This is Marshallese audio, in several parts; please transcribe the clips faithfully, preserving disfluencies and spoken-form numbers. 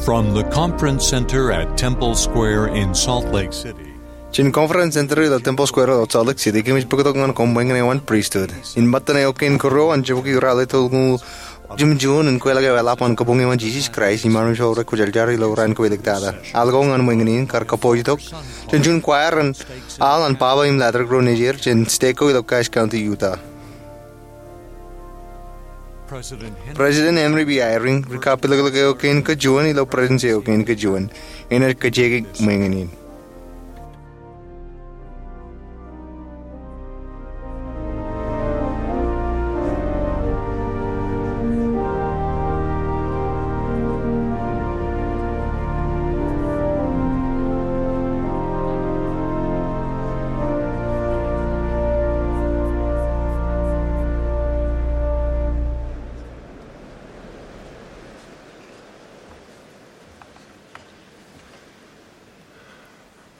From the Conference Center at Temple Square in Salt Lake City. Jān Conference Center ilo Temple Square ilo Salt Lake City, kōmij bōktok ñan koṃ ṃweiññane eo an pristut. Im ṃōttan eo kein kōrro an jibukwi ralitōñoul jimjuon in kweilọk eo eḷap an Kabuñ eo an Jisōs Kraist im armej ro rekwōjarjar ilo raan kowālik tata. Al ko ñan ṃweiññane in kar kappojtok jān juon choir in al an baba im ḷaddik ro nejier jān state ko ilo Cache County, Utah. President Henry B. Eyring, ri kapilōklōk eo kein kōjuon ilo Presidency eo kein kōjuon, enaaj kajjioñ ṃweiññane in.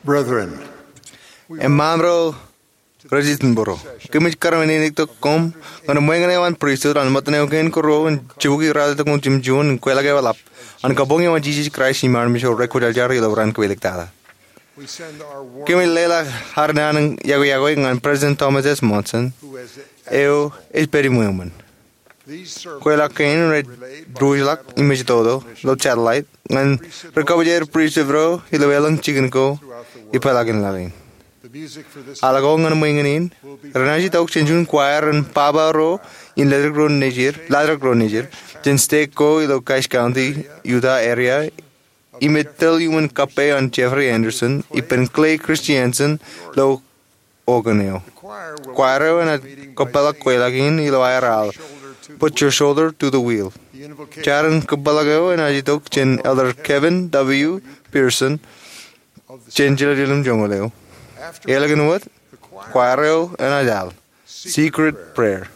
Brethren, eṃṃaan ro rej itōnbōro, kōmij kar men in itok koṃ ñan ṃweiññane eo an pristut an ṃōttan eo kein kōrro in jibukwi ralitōñoul jimjuon in kweilọk eo eḷap an Kabuñ eo an Jisōs Kraist im armej ro rekwōjarjar ilo raan kowālik tata. Kōmij leḷọk ad naan in yokwe yokwe ñan President Thomas S. Monson, eo ej pād iṃweo ṃōn. Kweilọk kein rej diwōjḷọk im ej toto ilo satellite ñan ri-kabōjāer pristut ro ilo elōñ jikin ko ipeḷaakin laḷ in. Al ko ñan ṃweiññane in renaaj itok jān juon choir in baba ro im ḷaddik ro nejier, ḷaddik ro nejier jān state ko ilo Cache County, Utah area, im ej tōl iuṃwin kappān Jeffrey Anderson ippān Clay Christiansen ilo organ eo. Choir eo enaaj kōpeḷḷọk kweilọk in ilo aer al, Put Your Shoulder to the Wheel. Jar in kōpeḷḷọk eo enaaj itok jān Elder Kevin W. Pearson jān Jerusalem joñoul eo. Ālikin wōt, choir eo enaaj al, Secret Prayer.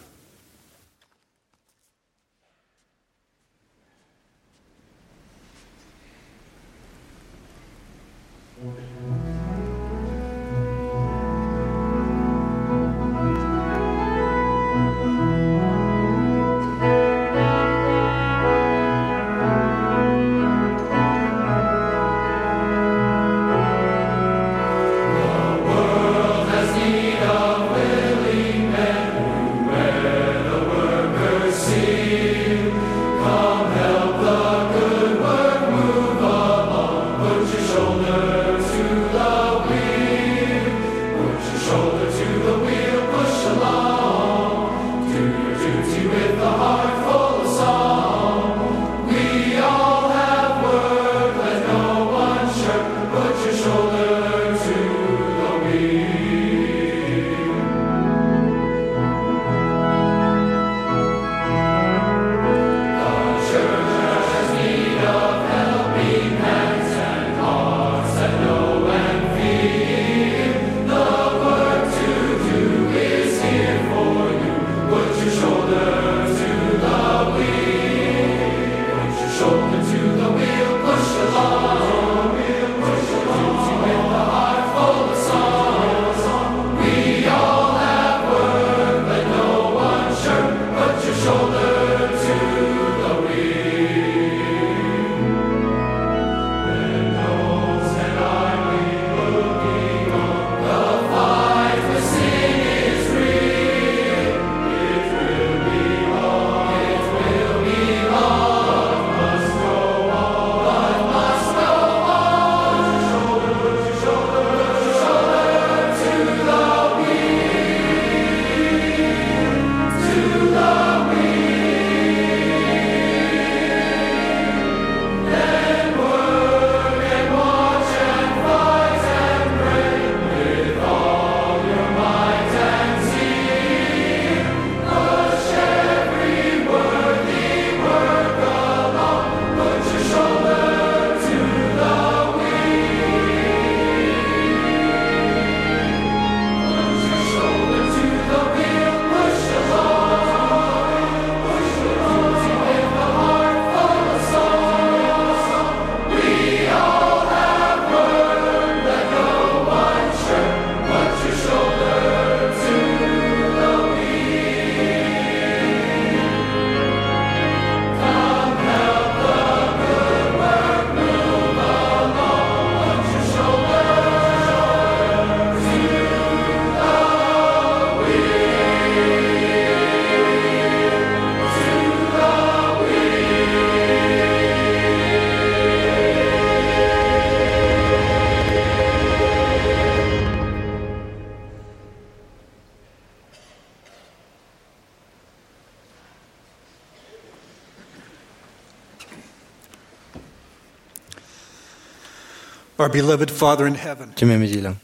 Our beloved Father in heaven, Jemem ej ilañ.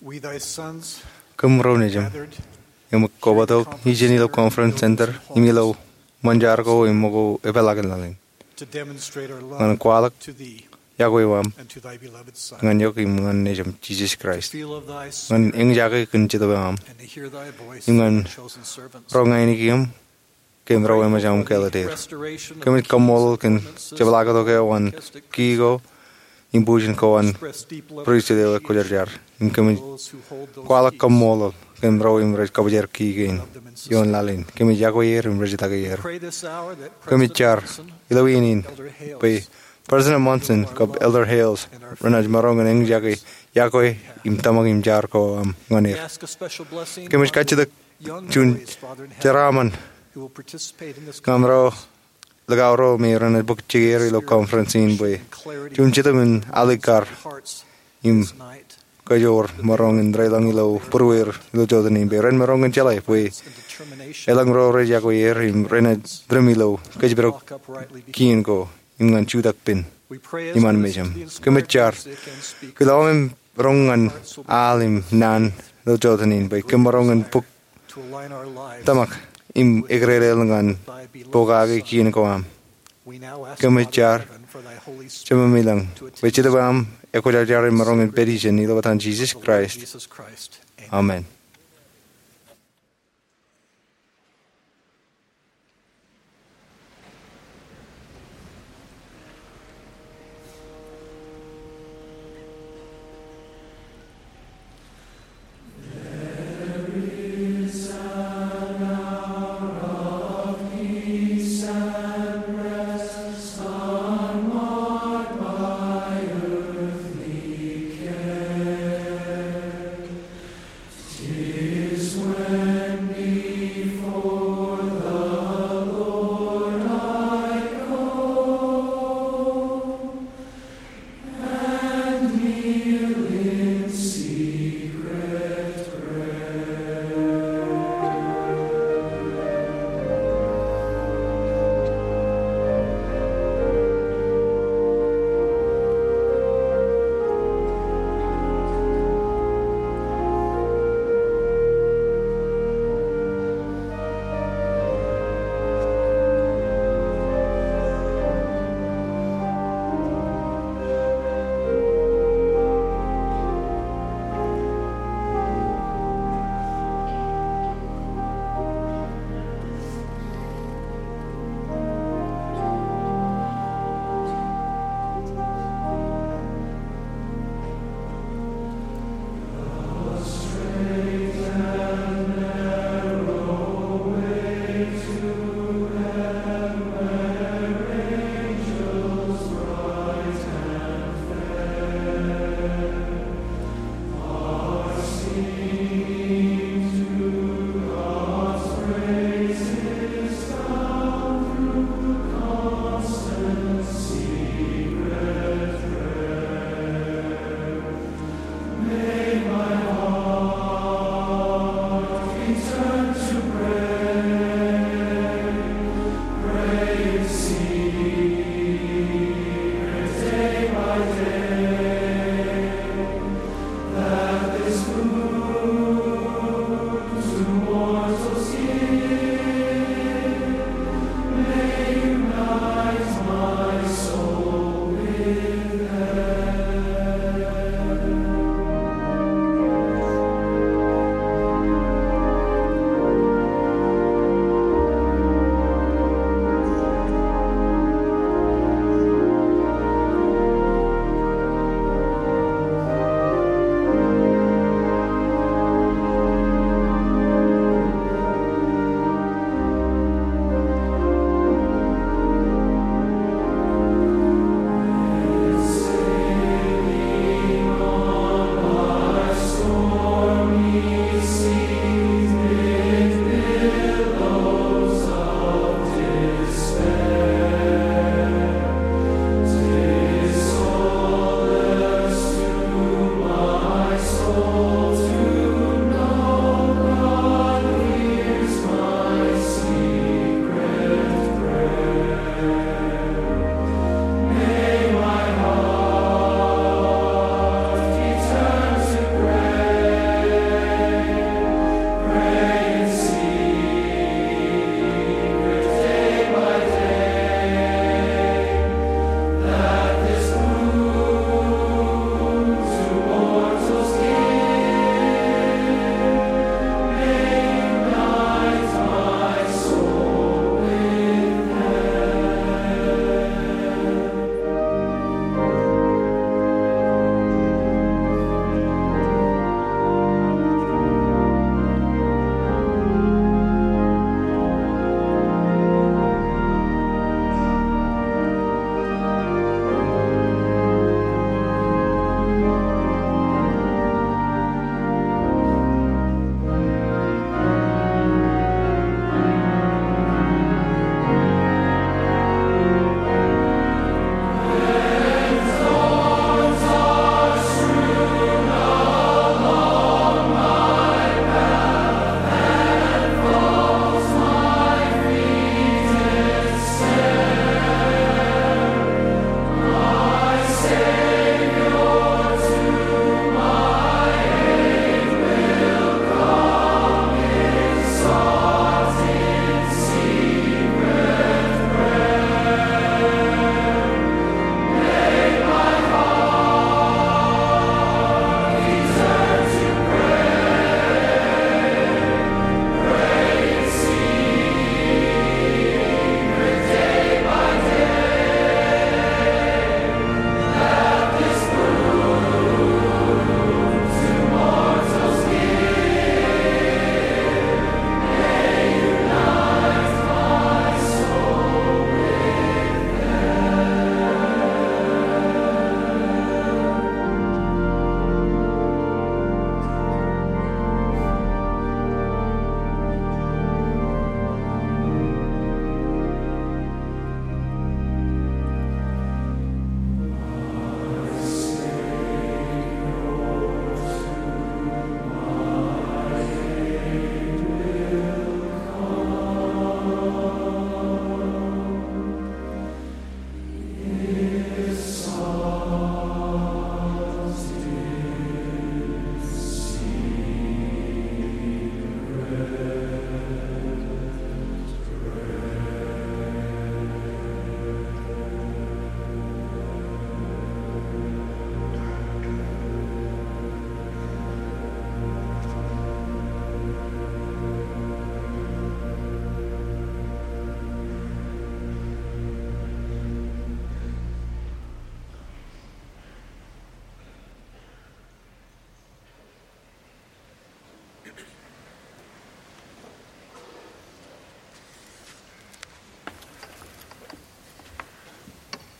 We, thy sons, kōm ro nejūṃ, gathered im kobatok ijeṇ ilo Conference Center im ilo ṃōn jar ko im ṃōko epeḷaakin laḷ in, to demonstrate our love ñan kwaḷọk to thee yokwe eo aṃ and to thy beloved Son, ñan eok im ñan nejūṃ Jisōs Kraist, to feel of thy ñan Spirit eñjake kōn Jetōb eo aṃ, and to hear thy voice im ñan through thy chosen servants. Roñ ainikieṃ kōm ro eo eṃōj aṃ kāālōt er. Kōmij kaṃṃoolol kōn jepḷaaktok eo an kiiō im bujen ko an pristut eo ekwōjarjar. Im kōmij kwaḷọk kaṃṃoolol kōn ro im rej kabōjrak key kein ioon laḷ in. Kōmij yokwe er im rej take er. Kōmij jar ilo iien in bwe President Monson kab Elder Hales renaaj maroñ in eñjake yokwe im tōmak im jar ko aṃ ñan er. Kōmij kajjitōk juon jeraaṃṃan ñan ro likao ro me renaaj bōk jikier ilo conference in bwe juon Jetōb in alikkar im kajoor maroñ in reilañ ilo būrueir ilo jota in bwe ren maroñ in jeḷā bwe elōñ ro rej yokwe er im renaaj rim ilo kōjparok kien ko im ñan jutak pen iṃaan mejaṃ. Kōmij jar ke lọmem roñ ñan al im naan ilo jota in bwe kōm maroñ in bōk tōmak im eklelel ñan pokake kien ko aṃ. Kōmij jar Jemem ilañ bwe Jetōb eo aṃ ekwōjarjar im maroñ in pād ijeṇ ilo etan Jisōs Kraist. Amen.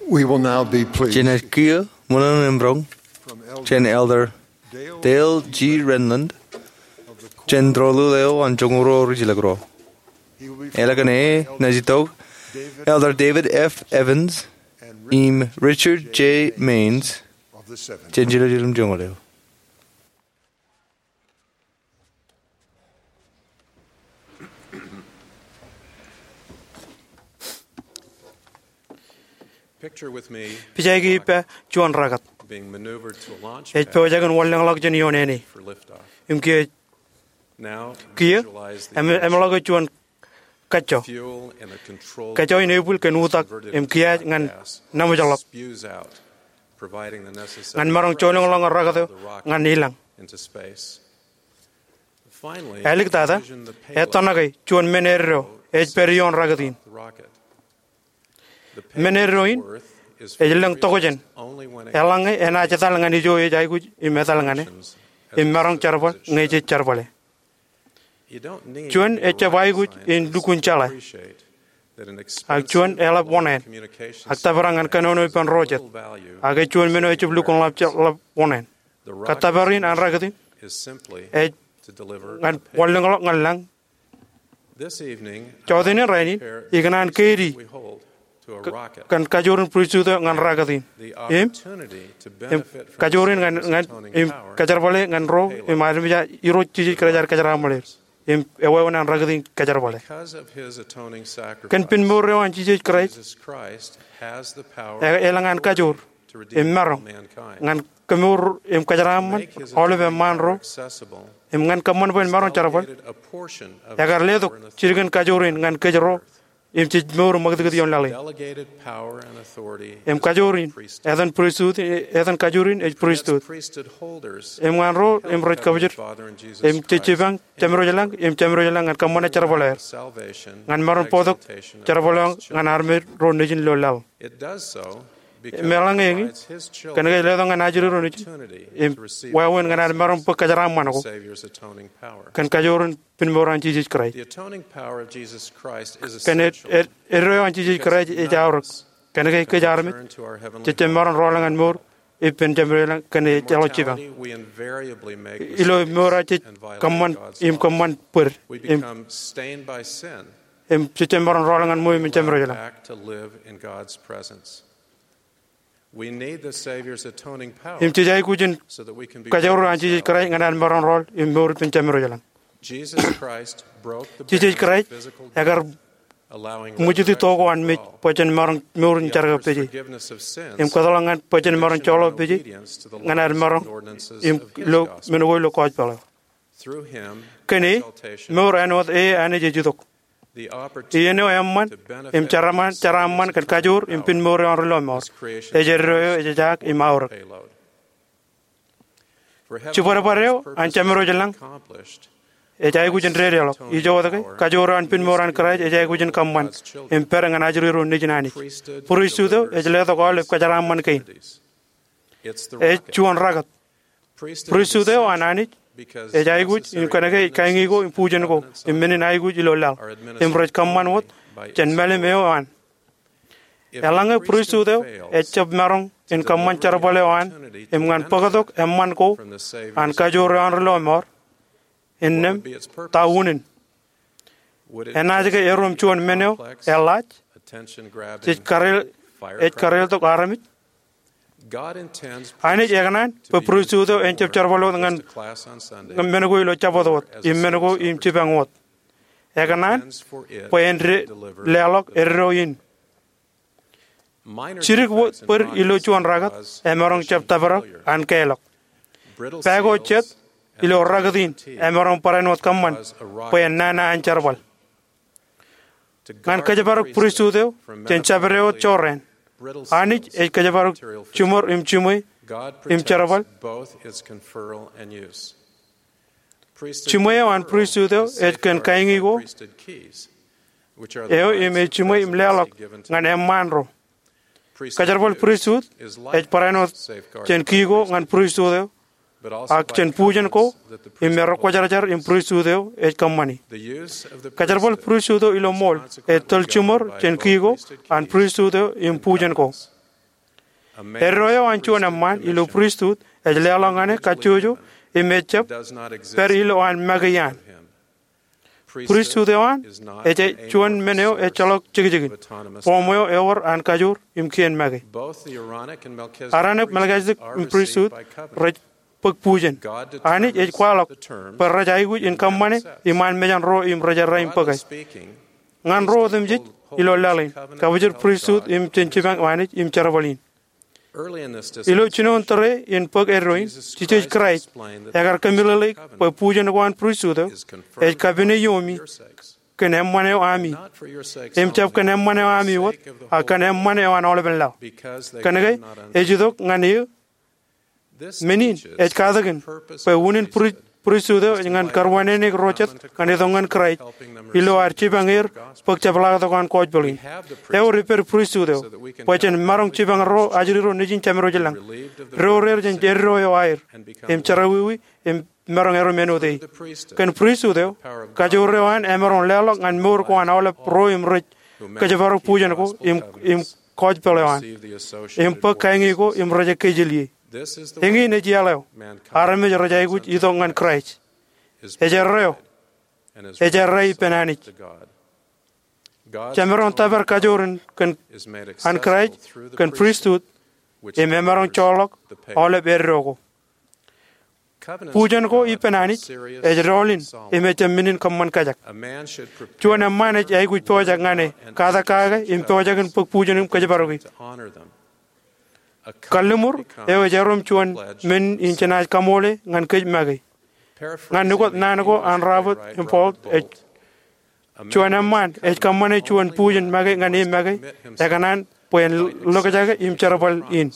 We will now be pleased Jenaaj kiiō ṃōṇōṇō im roñ jān Elder Dale G. Renlund, jān Tōl eo an Joñoul Ruo Ri-Jilkinḷọk Ruo. Eḷak in e naaj itok Elder David F. Evans im Richard J. Maynes jān Jiljilimjuonñoul eo. Picture with me Pijaiki ippa juon rakōt. Being maneuvered to a launch Ej pad pojak in wanlōñḷọk jān ioon āne. For liftoff. Im kiiō, Now, kiiō, visualize the em, emeḷọkwe juon kajjo. Fuel and a controlled Kajjo in epul kōn utak converted im kiaaj ñan gas naṃōjḷọk. Spews out, providing the necessary ñan maroñ jolōñḷọk ñan rakōt eo the rocket ñan ilañ. Into space. Finally, āliktata, envision the payload ettoṇake juon men eddo ej pād ioon rakōt in. The rocket. Men eddo in ej lōñ tokjān. Eḷaññe enaaj etal ñan ijo ej aikuj im etal ñan e, im maroñ jerbal ñe jej jerbale. Juon ejjab aikuj in lukkuun jeḷā, ak juon eḷap oṇāān, ak tōprak ñan kōnono ippān ro jet, ak ej juon men eo ejjab lukkuun ḷap je-, ḷap oṇāān. Kōttōpar in an rakōt in ej ñan wanlōñḷọk ñan lañ. Jọteen in rainin, ikōṇaan keidi kōn kajoor in pristut eo ñan rakōt in. Im, im kajoor in ñan, ñan, im kōjerbale ñan ro, im armej, Irooj Jisōs Kraist ear kōjeraaṃṃan er. Im ewāween an rakōt in kōjerbale. Kōn pinmour eo an Jisōs Kraist, e, elōñ an kajoor im maroñ ñan kemour im kōjeraaṃṃan aolep eṃṃaan ro, im ñan kōṃṃan bwe en maroñ jerbal, ekar letok jidik in kajoor in ñan kōj ro, im jej mour im ṃakūtkūt ioon laḷ in. Im kajoor in, etan pristut, etan kajoor in ej pristut. Im ñan ro, im rej kabōjrak, im jej jipañ Jemedwōj ilañ, im Jemedwōj ilañ ñan kōṃṃane jerbal er. Ñan maroñ bōktok jerbal eo ñan armej ro nejin ilo laḷ. Im eḷaññe eñin, kōnke ej letok ñan ajri ro nejin im wāween ñan ad maroñ bōk kōjeraaṃṃan ko kōn kajoor in pinmour an Jisōs Kraist. Kōn ed-, ed-, eddo eo an Jisōs Kraist ej aorōk kōnke kōj armej jejjab maroñ rọọl ñan mour ippān Jemedwōj ilañ kōn ejjeḷọk jipañ. Ilo mour eo jej kōṃṃan im kōṃṃan bōd im, im jejjab maroñ rọọl ñan ṃweo im Jemedwōj ilañ. Im jej aikuj in kajoor eo an Jisōs Kraist ñan ad maroñ rọọl im mour ippān Jemedwōj ilañ. Jisōs Kraist ekar ṃwijiti to ko an mej bwe jen maroñ mour in jerkakpeje im kōtḷọk ñan bwe jen maroñ joḷọk peje ñan ad maroñ im ilo men ko ilo gospel eo. Kōn e, mour āinwōt e Anij ej itok. Iien eo eṃṃan im jeraaṃṃan, jeraaṃṃan kōn kajoor im pinmour eo an ri lọmọọr ej eddo eo ejajaak im aorōk. Jibadbad eo an Jemedwōj ilañ ej aikuj in dedeḷọk. Ijoke, kajoor eo an pinmour an Kraist ej aikuj in kōṃṃan im pād ñan ajri ro nejin Anij. Pristut eo ej letok aolep kōjeraaṃṃan kein. Ej juon rakōt. Pristut eo an Anij ej aikuj in kōnke ej kaiñi ko im bujen ko im men in aikuj ilo laḷ im rej kōṃṃan wōt jān mālim eo an. Eḷaññe pristut eo ejjab maroñ in kōṃṃan jerbal eo an im ñan bōktok eṃṃan ko an kajoor eo an ri lọmọọr, innām ta unin? Enaaj ke erom juon men eo eḷaaj, jej kareel, ej kareeltok armej? Anij ekōṇaan bwe pristut eo en jab jerbal wōt ñan, ñan men ko ilo Jabōt wōt im men ko im jipañ wōt. Ekōṇaan bwe en de-, leḷọk eddo in. Jidik bōd ilo juon rakōt emaroñ jab tōprak an kālọk. Pā ko jet ilo rakōt in emaroñ barāinwōt kōṃṃan bwe en nana an jerbal. Ñan kōjparok pristut eo jān jabdewōt jorrāān, Anij ej kōjparok jiṃor im jiṃwe im jerbal. Jiṃwe eo an pristut eo ej kōn kaiñi ko eo im ej jiṃwe im leḷọk ñan eṃṃaan ro. Kōjerbal pristut ej barāinwōt jān ki ko ñan pristut eo, ak jān bujen ko im ekwōjarjar in pristut eo ej kōṃṃani. Kōjerbal pristut eo ilo ṃool ej tōl jiṃor jān ki ko an pristut eo im bujen ko. Eddo eo an juon eṃṃaan ilo pristut ej leḷọk ñan e kajjojo im ejjab pād ilo an make iaan. Pristut eo an ej juon men eo ejjeḷọk jekjekin. Boom eo ewōr an kajoor im kien make. Aronik, Melkisedek im pristut rej bōk bujen. Anij ej kwaḷọk bwe rej aikuj in kōṃṃane iṃaan mejān ro im rej errā im bōke. Ñan ro otemjej ilo laḷ in, kabōjrak pristut im jān jipañ Anij im jerbal in. Ilo jinoin tōre in bōk eddo in, Jisōs Kraist ekar kōmeḷeḷeik bwe bujen ko an pristut eo ej kapene iomi kōn eṃṃan eo ami, im jab kōn eṃṃan eo ami wōt, ak kōn eṃṃan eo an aolepen laḷ. Kōnke ej itok ñan eō. Men in ej katakin bwe unin pri- pristut eo ej ñan karuwānānāik ro jet ñan itok ñan Kraist ilo ad jipañ er bōk jepḷaaktok an gospel in. Ewōr ippād pristut eo bwe jen maroñ jipañ ro ajri ro nejin Jemedwōj lañ, door er jān eddo eo aer, im jerọwiwi im maroñ erom āinwōt e. Kōn pristut eo, kajoor eo an emaroñ leḷọk ñan mour ko an aolep ro im rej kōjparok bujen ko im, im gospel eo an, im bōk kañi ko im rej ekkejel ie. Eñin ej iaḷ eo armej rej aikuj itok ñan Kraist. Ej erreo, ej errā ippān Anij. Jemaroñ tōpar kajoor in kōn, an Kraist kōn pristut im emaroñ joorḷọk aolep eddo ko. Bujen ko ippān Anij ej doḷ in im ejjab men in kōṃṃan kajak. Juon eṃṃaan ej aikuj pojak ñan e, katak kake im pojak in bōk bujen im kōjparoki. Kalliṃur eo ej erom juon men in jenaaj kaṃoole ñan kōj make. Ñan ukōt naan ko an Robert Humboldt, ej juon eṃṃaan ej kōṃṃane juon bujen make ñan e make ekōṇaan bwe en lokjake im jerbal in.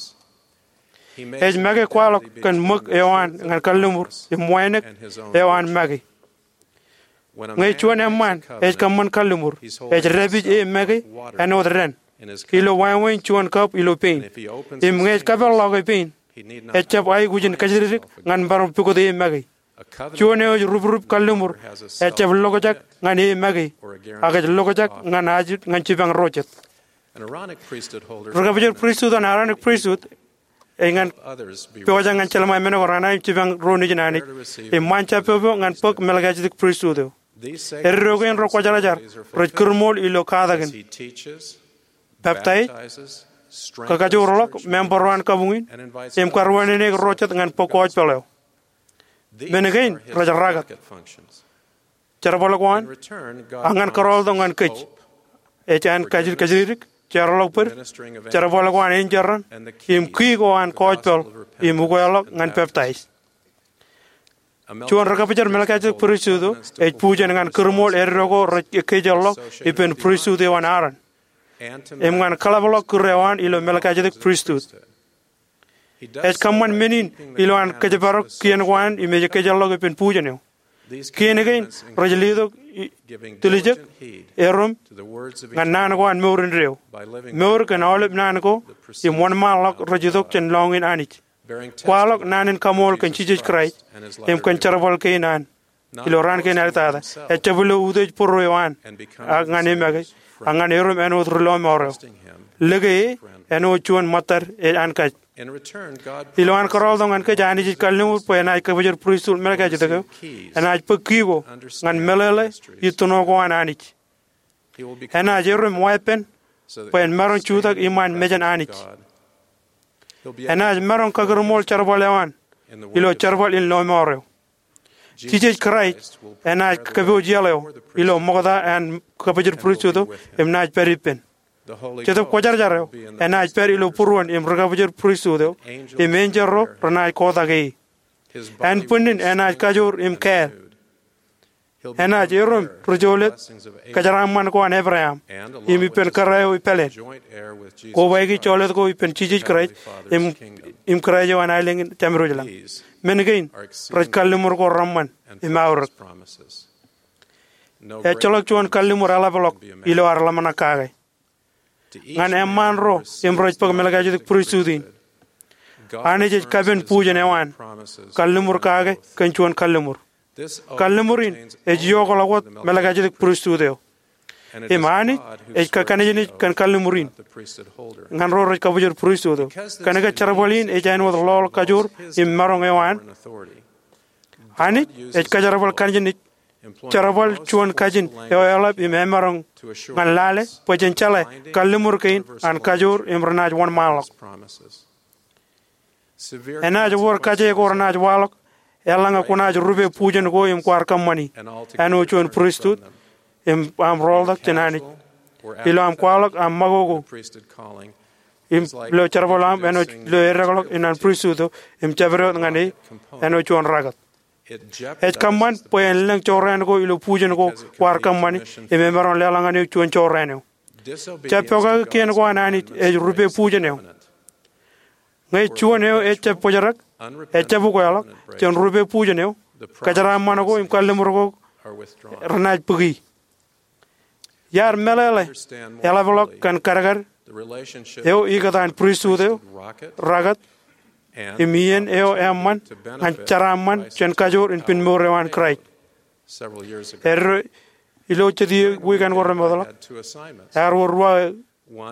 Ej make kwaḷọk kōn ṃōk eo an ñan kalliṃur im wānōk eo an make. Ñe juon eṃṃaan ej kōṃṃan kalliṃur, ej dāpij e make āinwōt dān ilo wāween juon kab ilo pein. Im ñe ej kapeḷḷọk e pein, ejjab aikuj in kōjatdikdik ñan bar pukot e make. Juon eo ej ruprup kalliṃur ejjab lokjak ñan e make, ak ej lokjak ñan ajri, ñan jipañ ro jet. Ri kabōjrak pristut an Aronik pristut ej ñan pojak ñan jelṃae men ko renaaj jipañ ro nejin Anij im ṃaan jab popo ñan bōk Melkisedek pristut eo. Eddo kein rekwōjarjar rej kūrmool ilo katakin, peptaij, kakajoorḷọk member ro an kabuñ in, im karuwānānāik ro jet ñan bōk gospel eo. Men kein rej rakat. Jerbal ko an, ak ñan kōrọọltok ñan kōj, ej an kajidikdik, jeorḷọk bōd, jerbal ko an enjeran, im key ko an gospel, im ukeḷọk ñan peptaij. Juon ri kabōjrak Melkisedek pristut eo ej bujen ñan kūrmool eddo ko rej ekkejeḷḷọk ippān pristut eo an Aron, im ñan kaḷapḷọk kūr eo an ilo Melkisedek pristut. Ej kōṃṃan men in ilo an kōjparok kien ko an im ej ekkejeḷḷọk ippān bujen eo. Kien kein rej letok i-, tiljek, erom, ñan naan ko an mour indeeo. Mour kōn aolep naan ko im wōnṃaanḷọk rej itok jān lọñiin Anij. Kwaḷọk naan in kaṃool kōn Jisōs Kraist im kōn jerbal kein an ilo raan kein alitata. Ejjab ilo utiej būruo eo an, ak ñan e make, ak ñan erom āinwōt ri lọmọọr eo. Lōke e āinwōt juon ṃōttad ej an kōj. Ilo an kōrọọltok ñan kōj, Anij ej kalliṃur bwe enaaj kabōjrak pristut Melkisedek eo, enaaj bōk key ko ñan meḷeḷe itōno ko an Anij. Enaaj erom weeppān bwe en maroñ jutak iṃaan mejān Anij. Enaaj maroñ kakūrmool jerbal eo an ilo jerbal in lọmọọr eo. Jisōs Kraist enaaj kōpooj iaḷ eo ilo ṃokta an kabōjrak pristut eo im naaj pād ippān. Jetōb Kwōjarjar eo enaaj pād ilo būruon im ri kabōjrak pristut eo, im enjeḷ ro renaaj kotak e. Ānbwinnin enaaj kajoor im kāāl. Enaaj erom ri jolōt kōjeraaṃṃan ko an Ebream, im ippān kōrā eo ipāleen. Kobaiki jolōt ko ippān Jisōs Kraist, im, im kōrā eo an aelōñ in Jemedwōj lañ. Men kein rej kalliṃur ko reṃṃan im aorōk. Ejjeḷọk juon kalliṃur eḷapḷọk ilo ad ḷōmṇak kake. Ñan eṃṃaan ro im rej bōk Melkisedek pristut in, Anij ej kapen bujen eo an kalliṃur kake kōn juon kalliṃur. Kalliṃur in ej iokḷọk wōt Melkisedek pristut eo. Im Anij ej kōkkanejnej kōn kalliṃur in ñan ro rej kabōjor pristut eo. Kōnke jerbal in ej āinwōt ḷoḷ kajoor im maroñ eo an, Anij ej kōjerbal kōnejnej jerbal juon kajin eo eḷap im emaroñ ñan lale bwe jen jeḷā kalliṃur kein an kajoor im renaaj wōnṃaanḷọk. Enaaj wōr kaje ko renaaj waḷọk eḷaññe kwōnaaj rupe bujen ko im kwaar kōṃṃani āinwōt juon pristut im aṃ rooltok jān Anij ilo aṃ kwaḷọk aṃ ṃakoko im ilo jerbal eo aṃ āinwōt ilo eddekḷọk in an pristut eo im jabdewōt ñan e āinwōt juon rakōt. Ej kōṃṃan bwe en lōñ jorrāān ko ilo bujen ko kwaar kōṃṃani im emaroñ leḷọk ñan eok juon jorrāān eo. Jab pokake kien ko an Anij ej rupe bujen eo. Ñe juon eo ejjab bōjrak, ejjab ukeḷọk jān rupe bujen eo, kōjeraaṃṃan ko im kalliṃur ko renaaj bōki. Iar meḷeḷe eḷapḷọk kōn kadkad eo ikōtaan pristut eo, rakōt, im iien eo eṃṃan ñan jeraaṃṃan jān kajoor in pinmour eo an Kraist. Eddo ilo jet iiō wiik eo ko remootḷọk, ear wōr ruo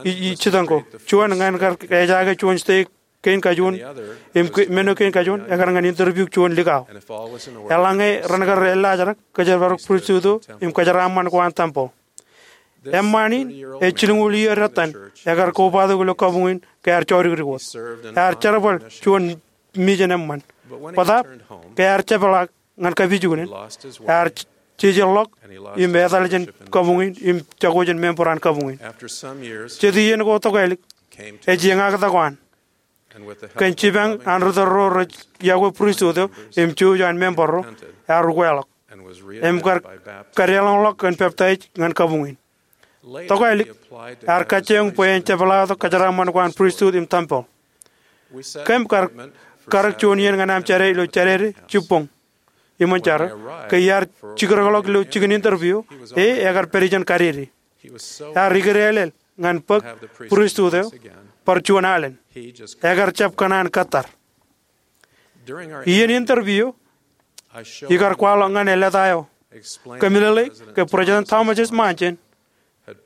ij jitōñ ko. Juon ñan kar ejaake juon steik kein kajuon im ke- men eo kein kajuon ekar ñan interview juon likao. Eḷaññe ren kar ellaajrak, kōjerbal pristut eo im kōjeraaṃṃan ko an tempel. Eṃṃaan in ej jilñuul iiō dettan ekar kobatok ilo kabuñ in ke ear jodikdik wōt. Ear jerbal juon mijen eṃṃan. Bōtaab ke ear jepḷaak ñan kapijuknen, ear jejeḷḷọk im etal jān kabuñ in im jako jān member an kabuñ in. Jet iien ko tokālik, ej eñaktok an. Kōn jipañ an ri tōl ro rej iọkwe pristut eo im jouj an member ro, ear ukeḷọk im kar kadeḷọñḷọk kōn peptaij ñan kabuñ in. Tokālik, ear kajjioñ bwe en jepḷaaktok kōjeraaṃṃan ko an pristut im tempel. Kōm kar karōk juon iien ñan aṃ jade ilo Jādede jibboñ iṃōn jar eo. Ke iar jikdekḷọk ilo jikin interview, e ekar pād ijeṇ kadede. Ear ikdeḷeḷ ñan bōk pristut eo bar juon alen. Ekar jab kōṇaan kōttar. Iien interview, ikar kwaḷọk ñan e leta eo, kōmeḷeḷeik ke President Thomas S. Monson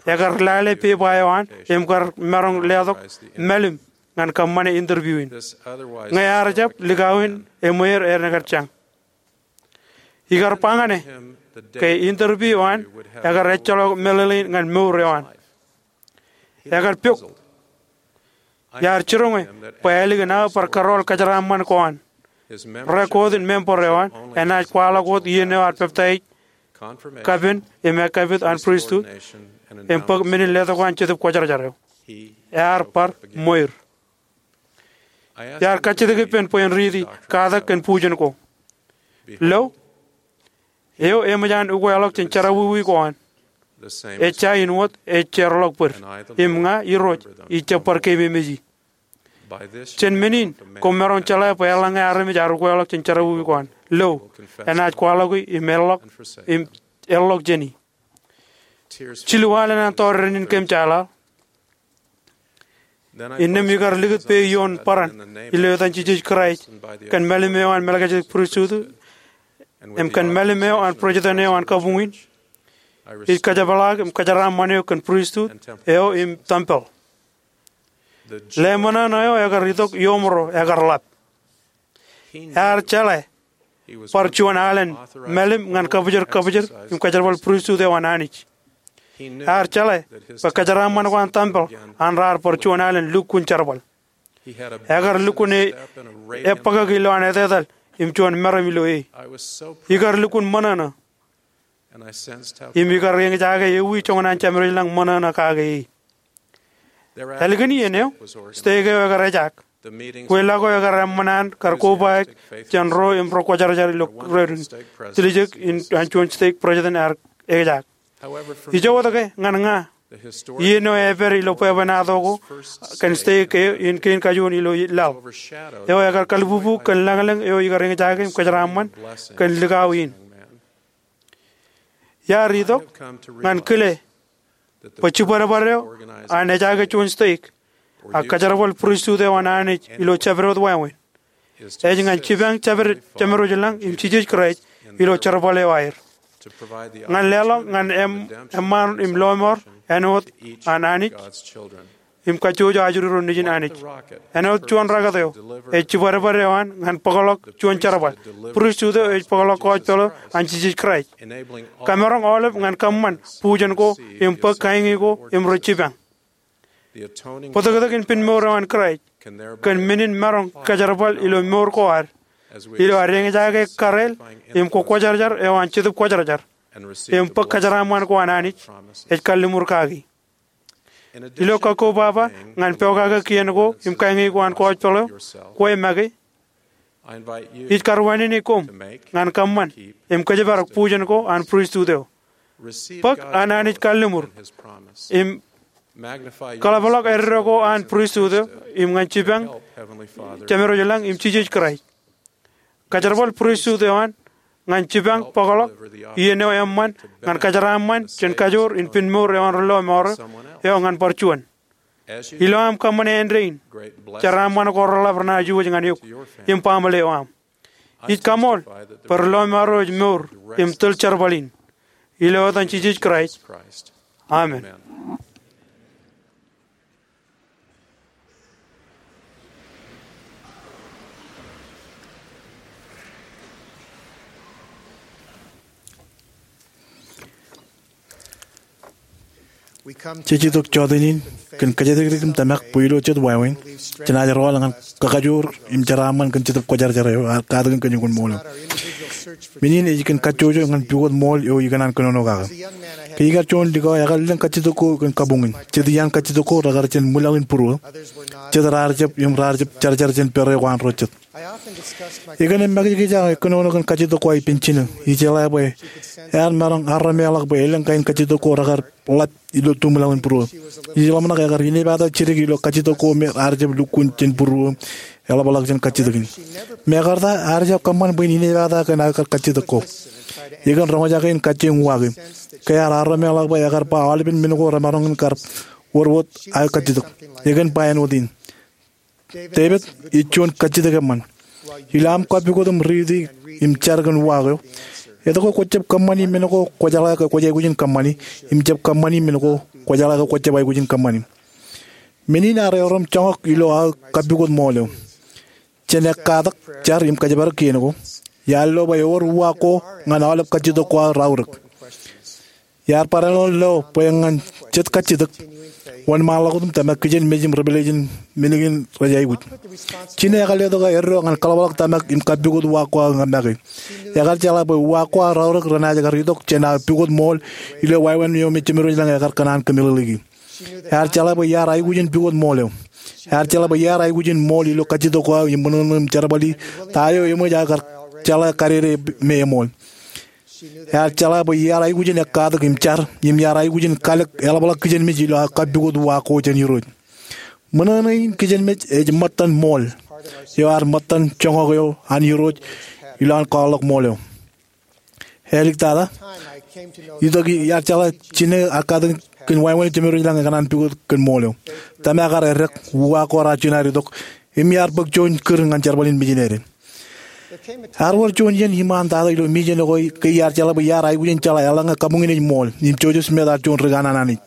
ekar lale pepa eo an im kar maroñ letok mālim ñan kōṃṃane interview in. Ñe ear jab, likao in eṃweer enaaj kar jañ. Ikar ba ñan e ke interview eo an ekar ejjeḷọk meḷeḷein ñan mour eo an. Ekar pok. Iar jiroñe bwe ālikin aō bar kōrọọl kōjeraaṃṃan ko an, record in member eo an enaaj kwaḷọk wōt iien eo ear peptaij, kapen im ekkapit an pristut, im bōk men in letok an Jetōb Kwōjarjar eo. Ear bar ṃweer. Iar kajjitōk ippān bwe en riiti katak kōn bujen ko. Lo, eo eṃōj an ukeḷọk jān jerọwiwi ko an, ejja in wōt ej jeorḷọk bōd, im ña Irooj ij jab bar keememej e. Jān men in koṃ maroñ jeḷā bwe eḷaññe armej ear ukeḷọk jān jerọwiwi ko an, lo, enaaj kwaḷọki im eḷḷọk, im eḷḷọk jān e. Jilu alen an tọọr renin kōm jeḷā. Innām ikar likūt peiṃ ioon bōran ilo etan Jisōs Kraist kōn mālim eo an Melchizedek Pristut im kōn mālim eo an President eo an kabuñ in. Ij kajepḷaak im kōjeraaṃṃan eok kōn pristut eo im tempel. Leṃōṇōṇō eo ekar itok iōṃro ekar ḷap. Ear jeḷā bar juon alen mālim ñan kabōjrak kabōjrak im kōjerbal pristut eo an Anij. Ear jeḷā bwe kōjeraaṃṃan ko an tempel an raar bar juon alen lukkuun jerbal. Ekar lukkuun e, ebōkaki ilowaan etetal im juon meram ilo e. Ikar lukkuun ṃōṇōṇō. Im ikar eñjake ewi joñan an jemedwōj lañ ṃōṇōṇō kake e. Ālikin iien eo, steik eo ekar ejaak. Kweilọk eo ekar eṃṃan an kar kobaik jān ro im ro kwōjarjar ilo ro rein. Tiljek in an juon steik president ear ejaak. Ijo wōt ke ñan ña, iien eo epād ilo bwebwenato ko kōn steik eo in kein kajuon ilo laḷ eo ekar kalbubu kōn lañlōñ eo ikar eñjake im kōjeraaṃṃan kōn likao in. Iar itok ñan kile bwe jibadbad eo an ejaake juon steik ak kōjerbal pristut eo an Anij ilo jabdewōt wāween ej ñan jipañ jemedwōj lañ im Jisōs Kraist ilo jerbal eo aer. ñan leḷọk ñan eṃṃaan im lọmọọr āinwōt an Anij im kajjojo ajri ro nejin Anij. Āinwōt juon rocket eo ej jibadbad eo an ñan bōkḷọk juon jerbal, pristut eo ej bōkḷọk kōjpeḷ eo an Jisōs Kraist, kamaroñ aolep ñan kōṃṃan bujen ko im bōk kaiñi ko im rej jipañ. Bōtōktōkin pinmour eo an Kraist kōn men in maroñ kajerbal ilo mour ko ad ilo ad eñjake kareel im kwōkwōjarjar eo an Jetōb Kwōjarjar im bōk kōjeraaṃṃan ko an Anij ej kalliṃur kaki. Ilo kakkobaba ñan pokake kien ko im kaiñi ko an kōjpeḷ eo, kwe make, ij karuwainene koṃ ñan kōṃṃan im kōjparok bujen ko an pristut eo. Bōk an Anij kalliṃur im kaḷapḷọk eddo ko an pristut eo im ñan jipañ Jemedwōj ilañ im Jisōs Kraist. Kajerbal pristut eo an ñan jipañ bōkḷọk iien eo eṃṃan ñan kōjeraaṃṃan jān kajoor in pinmour eo an ri lọmọọr eo ñan bar juon. Ilo aṃ kōṃṃane āindein, jeraaṃṃan ko reḷap renaaj iwōj ñan eok im baaṃle eo aṃ. Ij kaṃool bwe ri lọmọọr eo ej mour im tōl jerbal in. Ilo etan Jisōs Kraist, amen. Jej itok jọteen in kōn kōjatdikdik im tōmak bwe ilo jet wāween jenaaj rọọl ñan kakajoor im jeraaṃṃan kōn Jetōb Kwōjarjar eo ear katakin kōj ñan ṃool eo. Men in ej kōn kajjojo ñan pukot ṃool eo ikōṇaan kōnono kake. Ke ikar juon likao, ekar lōñ kajjitōk ko kōn kabuñ in. Jet iaan kajjitōk ko rekar jān ṃwilaḷ in būruō. Jet raar jab im raar jab jarjar jān pere ko an ro jet. Ekōṇaan makijkij aō kōnono kōn kajjitōk ko aō ippān jino. Ijeḷā bwe ear maroñ arremeḷọk bwe elōñ kain kajjitōk ko rekar ḷap ilo tumwilaḷ in būruō. Ij ḷōmṇak ekar inepata jidik ilo kajjitōk ko me raar jab lukkuun jān būruō im eḷapḷọk jān kajjitōk in. Im ekarta ear jab kōṃṃan bwe en inepata kōn aō kar kajjitōk ko. Ekōn roñjake in kajjioñ uwaake. Ke ear arremeḷọk bwe ekar ba aolepen men ko remaroñ in kar wōr wōt aō kajjitōk, ekōn ba āinwōt in. Devid ej juon kajjitōk eṃṃan. Ilo aṃ kapukot im riiti im jar kōn uwaak eo, etke kwōjab kōṃṃani men ko kwōjeḷā ke kwōj aikuj in kōṃṃani, im jab kōṃṃani men ko kwōjeḷā ke kwōjab aikuj in kōṃṃani? Men in ear erom joñak ilo aō kapukot ṃool eo. Jān ekkatak, jar im kōjparok kien ko, iar lo bwe ewōr uwaak ko ñan aolep kajjitōk ko aō raorōk. Iar barāinwōt lo bwe ñan jet kajjitōk, wōnṃaanḷọk wōt im tōmak kijenmej im revelation men kein rej aikuj. Jino ekar letok aō eddo ñan kaḷapḷọk tōmak im kapukot uwaak ko aō make. Ekar jeḷā bwe uwaak ko aō raorōk renaaj kar itok jān aō pukot ṃool ilo wāween eo me Jemedwōj ilañ ekar kōṇaan kōmeḷeḷeiki. Ear jeḷā bwe iar aikuj in pukot ṃool eo. Ear jeḷā bwe iar aikuj in ṃool ilo kajjitōk ko aō im ṃōṇōṇō im jerbali ta eo eṃōj aō kar jeḷā kadede me eṃool. Ear jeḷā bwe iar aikuj in ekkatak im jar, im iar aikuj in kalōk eḷapḷọk kijenmej ilo aō kapukot uwaak ko jān Irooj. Ṃōṇōṇō in kijenmej ej ṃōttan ṃool eo, ear ṃōttan joñak eo an Irooj ilo an kwaḷọk ṃool eo. Āliktata, itok iar jeḷā jino ekkatak kōn wāween Jemedwōj ilañ ekōṇaan pukot kōn ṃool eo. Tōmak ear eddek, uwaak ko raar jino aer itok, im iar bōk juon kūr ñan jerbal in mijinede. Ear wōr juon iien iṃaan tata ilo mijen ko ke iar jeḷā bwe iar aikuj in jeḷā eḷaññe kabuñ in ej ṃool, im Joseph Smith ear juon ri kanaan Anij.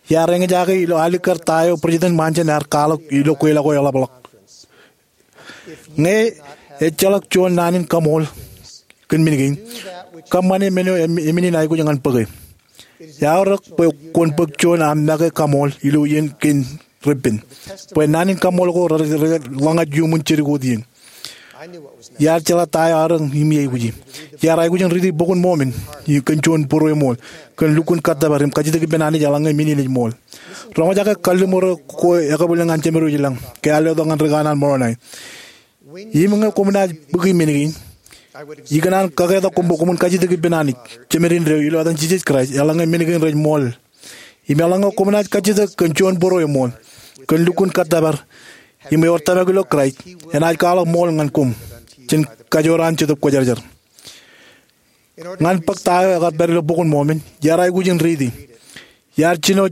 Iar eñjake ilo alikkar ta eo President Monson ear kwaḷọk ilo kweilọk ko eḷapḷọk. Ñe ejjeḷọk juon naan in kaṃool kōn men kein, kōṃṃane men eo em-, emin in aikuj ñan bōke. Eaorōk bwe kwōn bōk juon aṃ make kaṃool ilo iien kein repen, bwe naan in kaṃool ko re-, re-, reḷōñḷọk iuṃwin jidik wōt iien. Iar jeḷā ta eo eaorōk im iaikuji. Iar aikuj in riiti Bok in Mormon kōn juon būrueṃool, kōn lukkuun kōttōpar im kajjitōk ippān Anij eḷaññe men in ej ṃool. Roñjake kalliṃur eo ko ekabwilōñ an Jemedwōj ilañ ke ear letok ñan ri kanaan Moroni. Im ñe koṃ naaj bōki men kein, ikōṇaan kaketak koṃ bwe koṃwin kajjitōk ippān Anij, Jemedwōj eo, ilo etan Jisōs Kraist, eḷaññe men kein rej ṃool. Im eḷaññe koṃ naaj kajjitōk kōn juon būrueṃool, kōn lukkuun kōttōpar, im ewōr tōmak ilo Kraist, enaaj kwaḷọk ṃool ñan koṃ jān kajoor an Jetōb Kwōjarjar. Ñan bōk ta eo ekar pād ilo Bok in Mormon, iar aikuj in riiti. Iar jino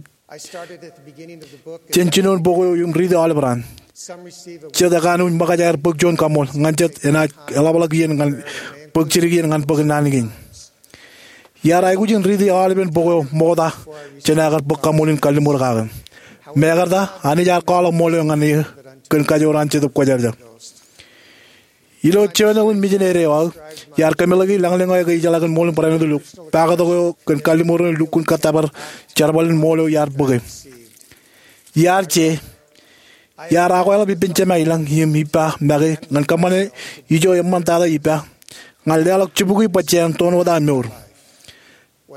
jān jinoin bok eo im riiti aolep raan. Jet ekanooj ṃōkaj aer bōk juon kaṃool, ñan jet enaaj eḷapḷọk iien ñan bōk jidik iien ñan bōk naan kein. Iar aikuj in riiti aolepen bok eo ṃokta jān aō kar bōk kaṃṃoolin kalliṃur kake. Mekarta, Anij ear kwaḷọk ṃool eo ñan eō kōn kajoor an Jetōb Kwōjarjar. Ilo journal in misineri eo aō, iar kōmeḷeiki lañlōñ eo ekwe ijeḷā kōn ṃool in barāinwōt ilo bōktok eo kōn kalliṃur in lukkuun kōttōpar jerbal in ṃool eo iar bōke. Iar je, iar akweḷap ippān Jema ilañ im ippa make ñan kōṃṃane ijo eṃṃantata ippa, ñan leḷọk jibukwi bwe jen toun wōt aō mour.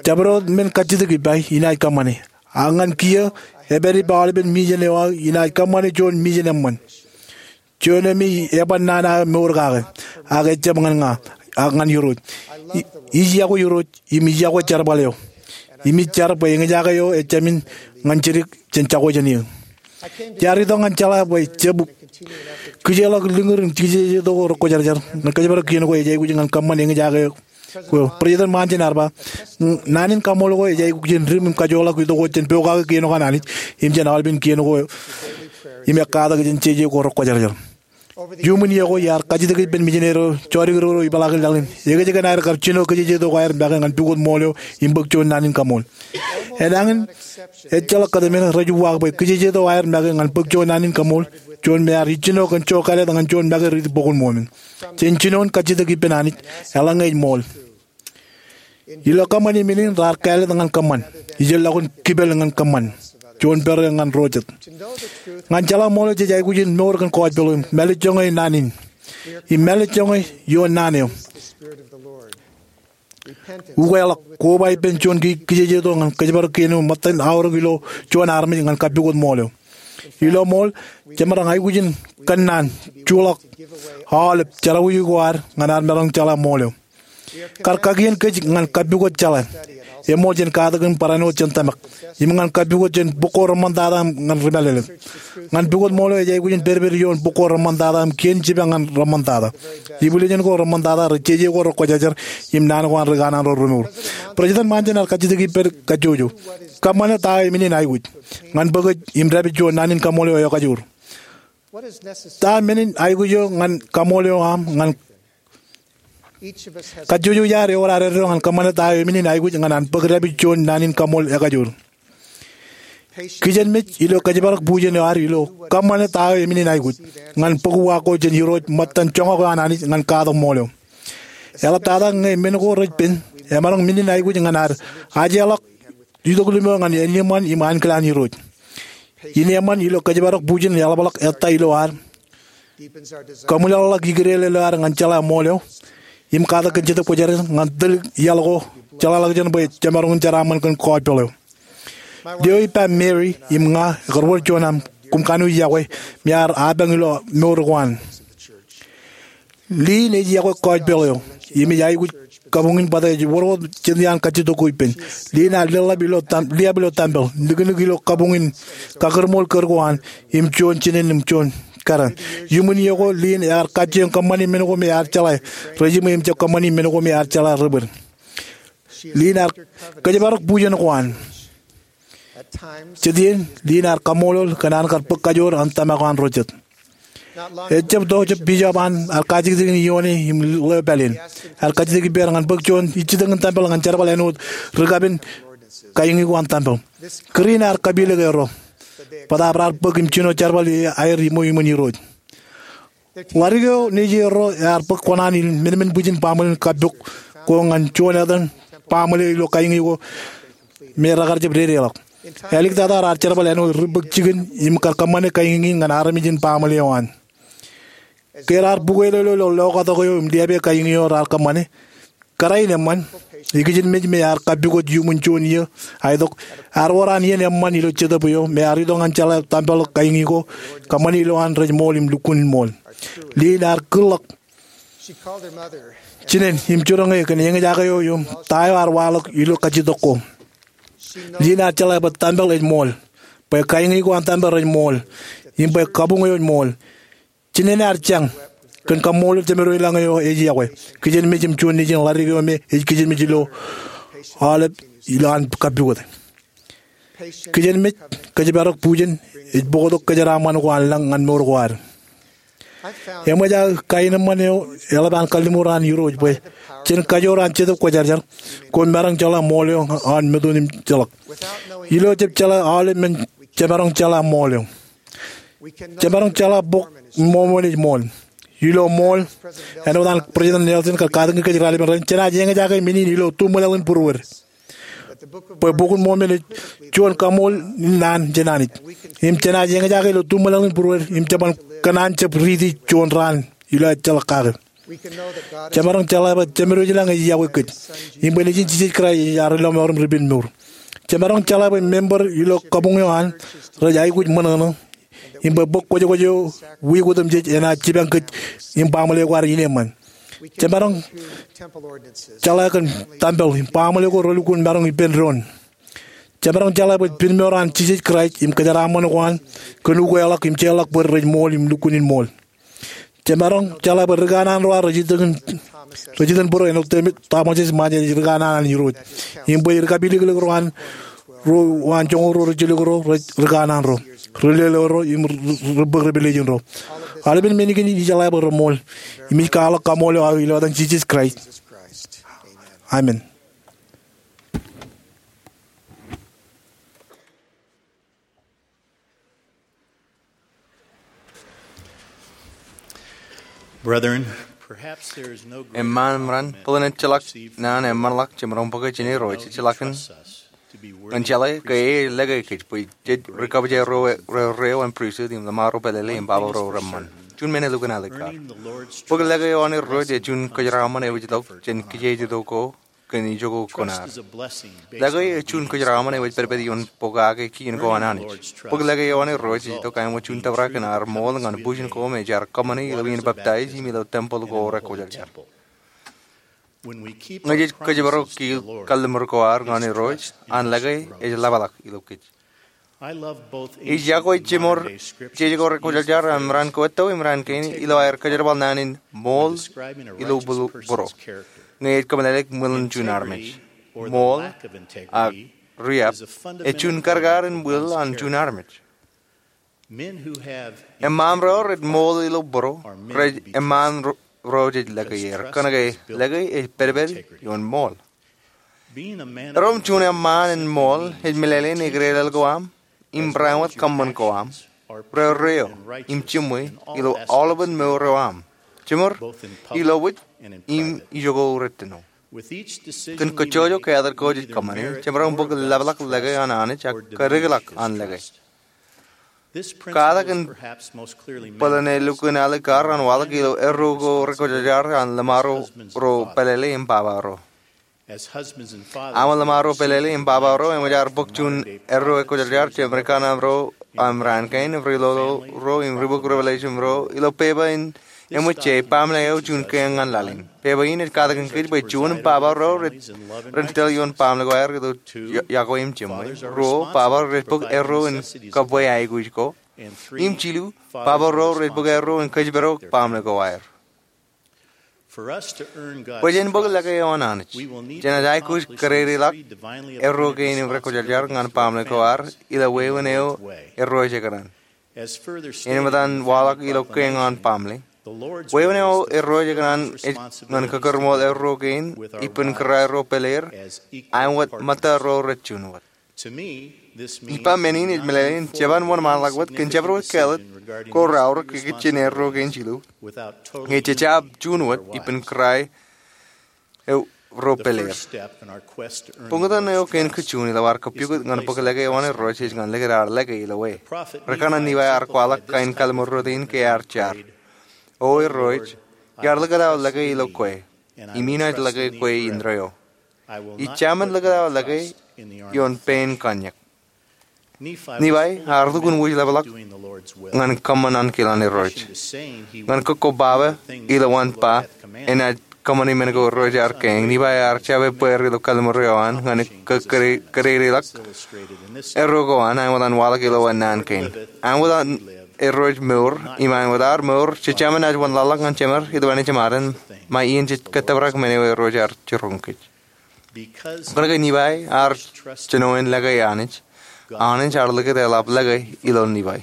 Jabdewōt men kajjitōk ippa inaaj kōṃṃane. Ak ñan kiiō, epād ippa aolepen misin eo aō inaaj kōṃṃane juon misin eṃṃan. Juon eo me eban naan aō mour kake, ak ejab ñan ña, ak ñan Irooj. I, ij yokwe Irooj, im ij yokwe jerbal eo. Im ij jar bwe eñjake eo ejāmin ñan jidik jān jako jān eō. Iar itok ñan jeḷā bwe jab kijeḷọk lōñūr in kijejeto ko rekwōjarjar ñan kōjparok kien ko ej aikuj ñan kōṃṃan eñjake eo. Kwō, President Monson ear ba, naan in kaṃṃool ko ej aikuj in dim im kajoorḷọk itok ko jān pokake kien ko an Anij, im jān aolepen kien ko, im ekkatak jān jeje ko rekwōjarjar. Iuṃwin iiō ko iar kajjitōk ippān misineri eo jodikdik ro ipḷaakin laḷ in. Ekōjkan aer kar jino kijejeto ko aer make ñan pukot ṃool eo im bōk juon naan in kaṃool. Enañin, ejjeḷọk kōtmān rej uwaak bwe kijejeto aer make ñan bōk juon naan in kaṃool, juon me ear ijjino kōn jokālet ñan juon make riiti bok in ṃool in. Jān jinoin kajjitōk ippān Anij, eḷaññe ej ṃool. Ilo kōṃṃan im inin raar kāālōt ñan kōṃṃan. Ijellọkun kipel ñan kōṃṃan. Juon pād ñan ro jet. Ñan jeḷā ṃool eo jej aikuj in mour kōn gospel eo im mālejjoñe naan in. Im mālejjoñe ioon naan eo. Ukeḷọk, koba ippān juon ki, kijejeto ñan kōjparok kien eo ṃōttan aorōk ilo juon armej ñan kappukot ṃool eo. Ilo ṃool, jemaroñ aikuj in kōnnaan, juḷọk, aolep, jerọwiwi ko ad ñan ad maroñ jeḷā ṃool eo. Kar kakien kōj ñan kappukot jeḷā. Eṃool jān katakin barāinwōt jān tōmak. Im ñan kappukot jān bok ko reṃṃantata im ñan ri-mālōtlōt. Ñan pukot ṃool eo ej aikuj in pedped ioon bok ko reṃṃantata im kien jibba ñan reṃṃantata. Ibwiljin ko reṃṃantata, ri jeje ko rekwōjarjar, im naan ko an ri kanaan ro remour. President Monson ear kajjitōk ippād kajjojo. Kōṃṃane ta eo emenin aikuj. Ñan bōk ej im dāpij juon naan in kaṃool eo ekajoor. Ta menin aikuj eo ñan kaṃool eo aṃ ñan Kajjojo iar ewōr ad eddo ñan kōṃṃane ta eo emenin aikuj ñan an bōk dāpij juon naan in kaṃool ekajoor. Kijenmej ilo kōjparok bujen eo ad ilo kōṃṃane ta eo emenin aikuj ñan bōk uwaak ko jān Irooj ṃōttan joñak eo an Anij ñan katak ṃool eo. Eḷaptata ñe men ko rej pen, emaroñ menin aikuj ñan ad ajeḷọk itok limo ñan āinwōt eṃṃan im ankilaan Irooj. Innem eṃṃan ilo kōjparok bujen eḷapḷọk ettā ilo ad, kōṃwilaḷḷọk ikidel ilo ad ñan jeḷā ṃool eo, im katak kōn Jetōb Kwōjarjar ñan tōl iaḷ ko jeḷāḷọkjeṇ bwe jemaroñ in jeraaṃṃan kōn gospel eo. Lio ippa Mary im ña ekar wōr juon aṃ koṃ kanooj yokwe me ear apañ ilo mour ko an. Lynn ej yokwe gospel eo im ej aikuj kabuñ in bōtab ej wōr wōt jān iaan kajjitōk ko ippān. Lynn ear leḷḷap ilo tam-, liab ilo tempel, niknik ilo kabuñ in kakūrṃool kōr ko an, im juon jinen im juon kōrā. Iuṃwin iiō ko Lynn ear kajjioñ kōṃṃani men ko me ear jeḷā rejiṃwe im jab kōṃṃani men ko me ear jeḷā rebōd. Lynn ear kōjparok bujen ko an. Jet iien, Lynn ear kaṃṃoolol kōn an kar bōk kajoor an tōmak ko an ro jet. Ejab to jab Bishop an ear kajjitōk in ioone im ḷeo pāleen. Ear kajjitōk ippāer ñan bōk juon ijjitōñin tempel ñan jerbal āinwōt rikapen kaiñi ko an tempel. Kūr in ear kapilōk erro bōtab raar bōk im jino jerbal aer iṃweo iṃōn Irooj. Ḷadik eo nejierro ear bōk kōṇaan in menmen bwijin baaṃle in kappok ko ñan juon etan baaṃle ilo kaiñi ko me rekar jab dedeḷọk. Āliktata raar jerbal āinwōt ri bōk jikin im kar kōṃṃane kaiñi in ñan armej in baaṃle eo an. Ke raar bukwelōlō ilo lokatok eo im liabe kaiñi eo raar kōṃṃane, kōrā in eṃṃan, ikijinmej me ear kappukot iuṃwin juon iiō, a itok, ear wōr an iien eṃṃan ilo jetōb eo me ear itok ñan jeḷā tempel kaiñi ko, kōṃṃani ilowaan rej ṃool im lukkuun ṃool. Lynn ear kūrḷọk jinen im jiroñ e kōn eñjake eo im ta eo ear waḷọk ilo kajjitōk ko. Lynn ear jeḷā bwe tempel ej ṃool, bwe kaiñi ko an tempel rej ṃool, im bwe kabuñ eo ej ṃool. Jinen ear jañ kōn kaṃṃoolol Jemedwōj ilañ eo ej yokwe. Kijenmej im juon nejin ḷadik eo me ej kijenmej ilo aolep ilowaan kappukot. Kijenmej, kōjparok bujen, ej bōktok kōjeraaṃṃan ko an lañ ñan mour ko ad. Eṃōj aō kaenōṃṃan eo eḷap an kalliṃur an Irooj bwe jen kajoor an Jetōb Kwōjarjar, kwōn maroñ jeḷā ṃool eo an metoon im jeḷak. Ilo jab jeḷā aolep men, jemaroñ jeḷā ṃool eo. Jemaroñ jeḷā Bok in Mormon ej ṃool. Ilo ṃool, āinwōt an President Nelson kar katakin kōj raelepen rainin, jenaaj eñjake men in ilo du ṃōḷeḷ in būruod, bwe Bok in Mormon ej juon kaṃool in naan jān Anij. Im jenaaj eñjake ilo du ṃōḷeḷ in būruod im jeban kōṇaan jab riiti juon raan ilo ejjeḷọk kake. Jemaroñ jeḷā bwe Jemedwōj ilañ ej yokwe kōj, im bwe Nejin Jisōs Kraist ej ad lọmọọr im ripenmour. Jemaroñ jeḷā bwe member ilo kabuñ eo an rej aikuj ṃōṇōṇō, im bwe bōk kwōjkwōj eo wiik otemjej enaaj jipañ kōj im baaṃle ko ad ineeṃṃan. Jemaroñ jeḷā kōn tempel im baaṃle ko relukkuun maroñ ippān doon. Jemaroñ jeḷā bwe pinemour an Jisōs Kraist im kōjeraaṃṃan ko an kōn ukweḷọk im jeorḷọk bōd rej ṃool im lukkuun in ṃool. Jemaroñ jeḷā bwe ri kanaan ro an rej iten, rej iten būro āinwōt Thomas S. Monson ej ri kanaan an Irooj, im bwe ri kapilōklōk ro an, ro an joñoul ro rej jilkinro rej ri kanaan ro, ri lelōñ ro im ri, ri, ri bōk ri pālejin ro. Aolepān men kein in ijeḷā bwe reṃool, im ij kwaḷọk kaṃool eo aō ilo etan Jisōs Kraist. Amen. Brethren, perhaps there is no greater Eṃṃaan im raan, bōlen ejjeḷọk naan eṃṃanḷọk jemaroñ bōke jān Irooj ejjeḷọkin ñan jeḷā ke e lōke kōj bwe jej ri kabwilōñ ro, ro, ro an pristut im lōṃaro pālele im baba ro reṃṃan. Juon men elukkuun alikkar. Bōk lōke eo an Irooj ej juon kōjeraaṃṃan eo ej itok jān kijeej itok ko kōn ijoko kuṇaad. Lōke ej juon kōjeraaṃṃan eo ej pedped ioon pokake kien ko an Anij. Bōk lōke eo an Irooj ej itok āinwōt juon tōprak in ad ṃool ñan bujen ko me jaar kōṃṃani ilo iien peptaij im ilo tempel ko rekwōjarjar. Ñe jej kōjparok kiiō kalliṃur ko ad ñan Irooj, an lōke ej ḷapḷọk ilo kōj. Ij yokwe jiṃor jeje ko rekwōjarjar an raan ko etto im raan kein ilo aer kōjerbal naan in ṃool ilo bū-, būro. Ñe ej kōmeḷeḷeik ṃwilen juon armej. Ṃool ak riab ej juon karkar in will an juon armej. Eṃṃaan ro rej ṃool ilo būro, rej eṃṃaan ro, ro jej lōke er. Kōnke lōke ej pedped ioon ṃool. Erom juon eṃṃaan in ṃool ej meḷeḷein ekdeḷọk ko aṃ im barāinwōt kōṃṃan ko aṃ, rerreo im jiṃwe ilo aolepān mour eo aṃ, jiṃor, ilo wōj, im ijoko rettino. Kōn kajjojo kātōd ko jej kōṃṃane, jemaroñ bōk ḷapḷọk lōke an Anij ak kōdikḷọk an lōke. Katak in bōlen elukkuun alikkar an waḷọk ilo erro ko rekwōjarjar an lōṃaro ro pālele im baba ro. Aṃ lōṃaro pālele im baba ro eṃōj ad bōk juon erro rekwōjarjar jān ri kanaan ro an raan kein, ri lolo ro im ri bōk revelation ro ilo pepa in eṃōj je baaṃle eo juon kiiō ñan laḷ in. Pepa in ej katakin kōj bwe juon baba ro rej, ren tōl ioon baaṃle ko aer ilo yokwe im jiṃwe. Ruo, baba ro rej bōk erro in kabwe aikuj ko. Im jilu, baba ro rej bōk erro in kōjparok baaṃle ko aer. Bwe jen bōk lōke eo an Anij, jenaaj aikuj kōdedeḷọk erro kein im rekwōjarjar ñan baaṃle ko ad ilo wāween eo Irooj ekōṇaan. Āinwōt an waḷọk ilo kiiō ñan baaṃle, wāween eo Irooj ekōṇaan ej ñan kōkōrṃool erro kein ippān kōrā ro pāleer, āinwōt ṃōtta ro rej juon wōt. Ippa men in ej meḷeḷein jeban wōnṃaanḷọk wōt kōn jabdewōt kāālōt ko raorōk ikijjien erro kein jilu ñe jejjab juon wōt ippān kōrā ro pāleer. Bōktan eo kein kajjioñ ilo ad kapukot ñan bōk lōke eo an Irooj ej ñan likūt ad lōke ilo e. Ri kanaan Nifai ear kwaḷọk kain kalliṃur rot in ke ear jar: O Irooj, iar likūt aō lōke ilo kwe, im inaaj lōke kwe indeeo. Ij jemān likūt aō lōke ioon pein kōnñak. Nifai ear lukkuun wōj ḷapḷọk ñan kōṃṃan ankilaan Irooj. Ñan kōkko baba ilo an ba enaaj kōṃṃani men ko Irooj ear kein, Nifai ear jab ebbeer ilo kalliṃur eo an ñan kō-, kōde-, kōdedeḷọk erro ko an, āinwōt an waḷọk ilo naan kein. Āinwōt an Irooj mour, im āinwōt ad mour, jejjab naaj wōnlaḷḷọk ñan jemed ilo āne jemaden, ṃae iien jej kōttōprak men eo Irooj ear jiroñ kōj. Kōnke Nifai ear jinoin lōke Anij, Anij ear likūt eḷap lōke ilo Nifai.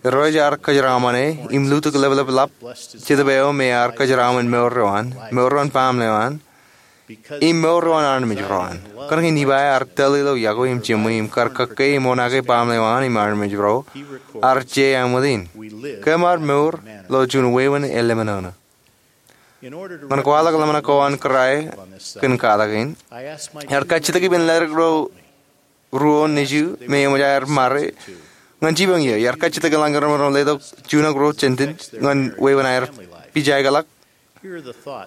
Irooj ear kōjeraṃōne im lutōk ḷapḷap ḷap Jetōb eo me ear kōjeraṃōn mour eo an, mour eo an baaṃle eo an, im mour eo an armej ro an. Kōnke Nifai ear tōl ilo iọkwe im jiṃwe im kar kōkwe im oṇaake baaṃle eo an im armej ro, ear je āinwōt in. Kōm ar mour ilo juon wāween eḷap ṇe. Ñan kwaḷọk ḷōmṇak ko an kōrā kōn katak in, iar kajjitōk ippān ledik ro ruo nejū me eṃōj aer ṃare ñan jipañ iiō. Iar kajjitōk eḷaññe ro letok junak ro jān tent ñan wāween aer pija ḷọk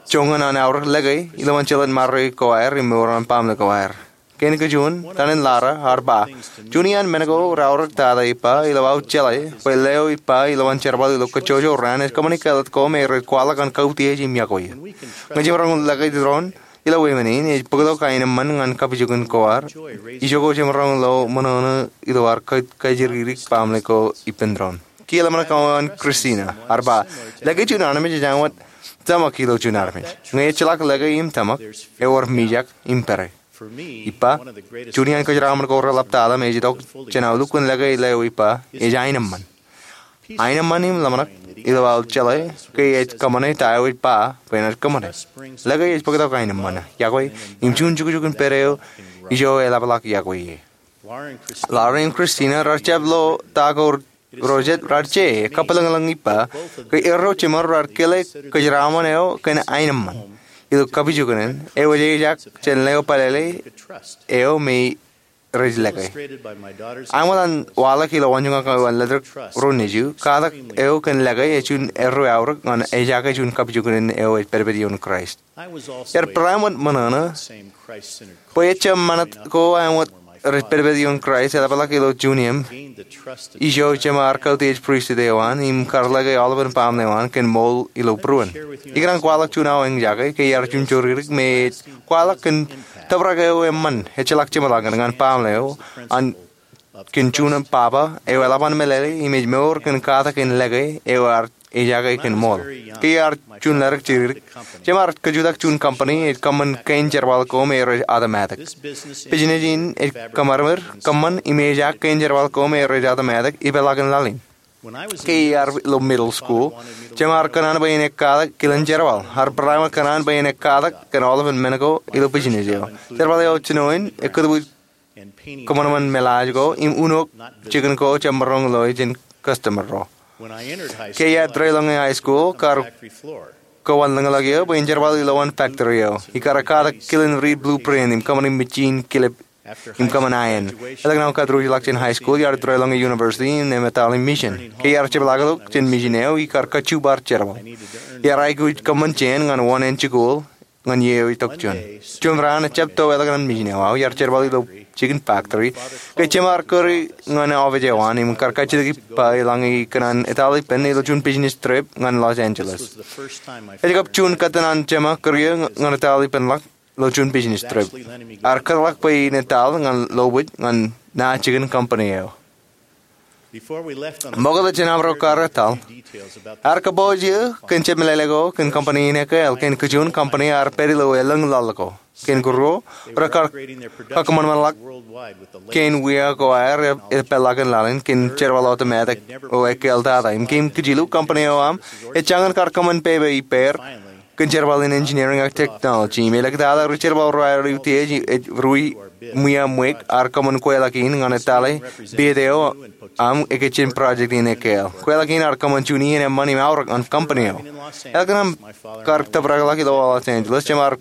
joñan an aorōk lōke ilowaan jeḷān ṃare ko aer im mour an baaṃle ko aer. Kein kōjuon, Tanenlara, ear ba, juon iaan men ko raorōk tata ippa ilo aō jeḷā bwe leo ippa ilowaan jerbal ilo kajjojo raan ej kōṃṃani kāālōt ko me rej kwaḷọk an kautiej im iọkwe eō. Ñe jemaroñ lōke doon ilo wāween in, ej bōktok aenōṃṃan ñan kapijuknen ko ad. Ijoko jemaroñ lo ṃōṇōṇō ilo ad kajjirkirik baaṃle ko ippān doon. Kiiō ḷōmṇak ko an Kristina, ear ba, lōke juon armej ej āinwōt tōmak ilo juon armej. Ñe ejjeḷọk lōke im tōmak, ewōr mijak im pere. Ippa, juon iaan kōjeraṃōn ko reḷap tata me ej itok jān aolep kōn lōke leo ippa, ej aenōṃṃan. Aenōṃṃan im ḷōmṇak ilo aō jeḷā ke ej kōṃṃane ta eo ej ba bwe enaaj kōṃṃane. Lōke ej bōktok aenōṃṃan, iọkwe, im juon jukjuk in pād eo ijo eḷapḷọk iọkwe ie. Lara im Kristina raar jab lo ta ko ro jet raar je, kappilōñlōñ ippa ke erro jeṃor raar kile kōjeraṃōn eo kōn aenōṃṃan ilo kapijuknen eo ej ejaak jān leo pālele eo me rej lōke. Āinwōt an waḷọk ilo waanjoñak eo an ledik ro nejū, katak eo kōn lōke ej juon erro aorōk ñan ejaake juon kapijuknen eo ej pedped ioon Kraist. Iar barāinwōt ṃōṇōṇō bwe ejjab ṃanit ko āinwōt rej pedped ioon Kraist eḷapḷọk ilo juon iiō ijo jema ar kautiej pristut eo an im kar lōke aolepān baaṃle eo an kōn ṃool ilo būruon. Ikōṇaan kwaḷọk juon aō eñjake ke iar juon joririk me ej kwaḷọk kōn tōprak eo eṃṃan ejjeḷọk jeṃḷọkin ñan baaṃle eo an kōn juon baba eo eḷap an meḷeḷe im ej mour kōn katak in lōke eo ear ejaake kōn ṃool. Ke iar juon ledik jeridik, jema ar kajutak juon company ej kōṃṃan kein jerbal ko me rej automatic. Business in ej kōṃṃan im ejaak kein jerbal ko me rej automatic ipeḷaakin laḷ in. Ke iar ilo middle school, jema ar kōṇaan bwe en ekkatak kilen jerbal. Ar barāinwōt kōṇaan bwe en ekkatak kōn aolepān men ko ilo business eo. Jerbal eo jinoin ekkūtbwij kōṃanṃan meḷaaj ko im unook jikin ko jab maroñ loe jān customer ro. Ke iar deḷọñe high school, kar kōwanlōñḷọk eō bwe en jerbal ilowaan factory eo. Ikar ekkatak kilen riit blueprint im kōṃṃani mejin kilep im kōṃṃan iron. Elōñ naan kōtūrjḷọk jān high school, iar deḷọñe university im etal im mission. Ke iar jepḷaakḷọk jān mission eo, ikar kajju bar jerbal. Iar aikuj kōṃṃan jān ñan wōṇāān jikuuḷ ñan iiō eo itok juon. Juon raan ejjab to ḷọk ñan mission eo aō, iar jerbal ilo jikin factory ke jema ar kūri ñan office eo an im kar kajjitōk ippa eḷaññe ikōṇaan etal ippān ilo juon business trip ñan Los Angeles. Ej kab juon kōttan an jema kūr eō ñan etal ippān ḷọk ilo juon business trip. Ear kōtḷọk bwe in etal ñan lobōj ñan naan jikin company eo. Ṃokta jān aṃro kar etal, ear kōpooj eō kōn jab meḷeḷe ko kōn company in ekāāl. Kōn kōjuon company ear pād ilo elōñ laḷ ko. Kōn kōrro, rekar kakōṃanṃanḷọk kein wia ko aer epālḷọk in laḷ in kōn jerbal automatic eo ekāāl tata. Im kōn kijilu, company eo aṃ ej jañin kar kōṃṃan pepe ippāer kōn jerbal in engineering ak technology. Im elōñ tata ri jerbal ro aer utiej ej ruo ṃwiaṃwōj ear kōṃṃan kweilọk in ñan etale bid eo aṃ ekōjjien project in ekāāl. Kweilọk in ear kōṃṃan juon iien eṃṃan im aorōk ñan company eo. Elōñ kōṇaan kar tōprakḷọk ilo Los Angeles, jema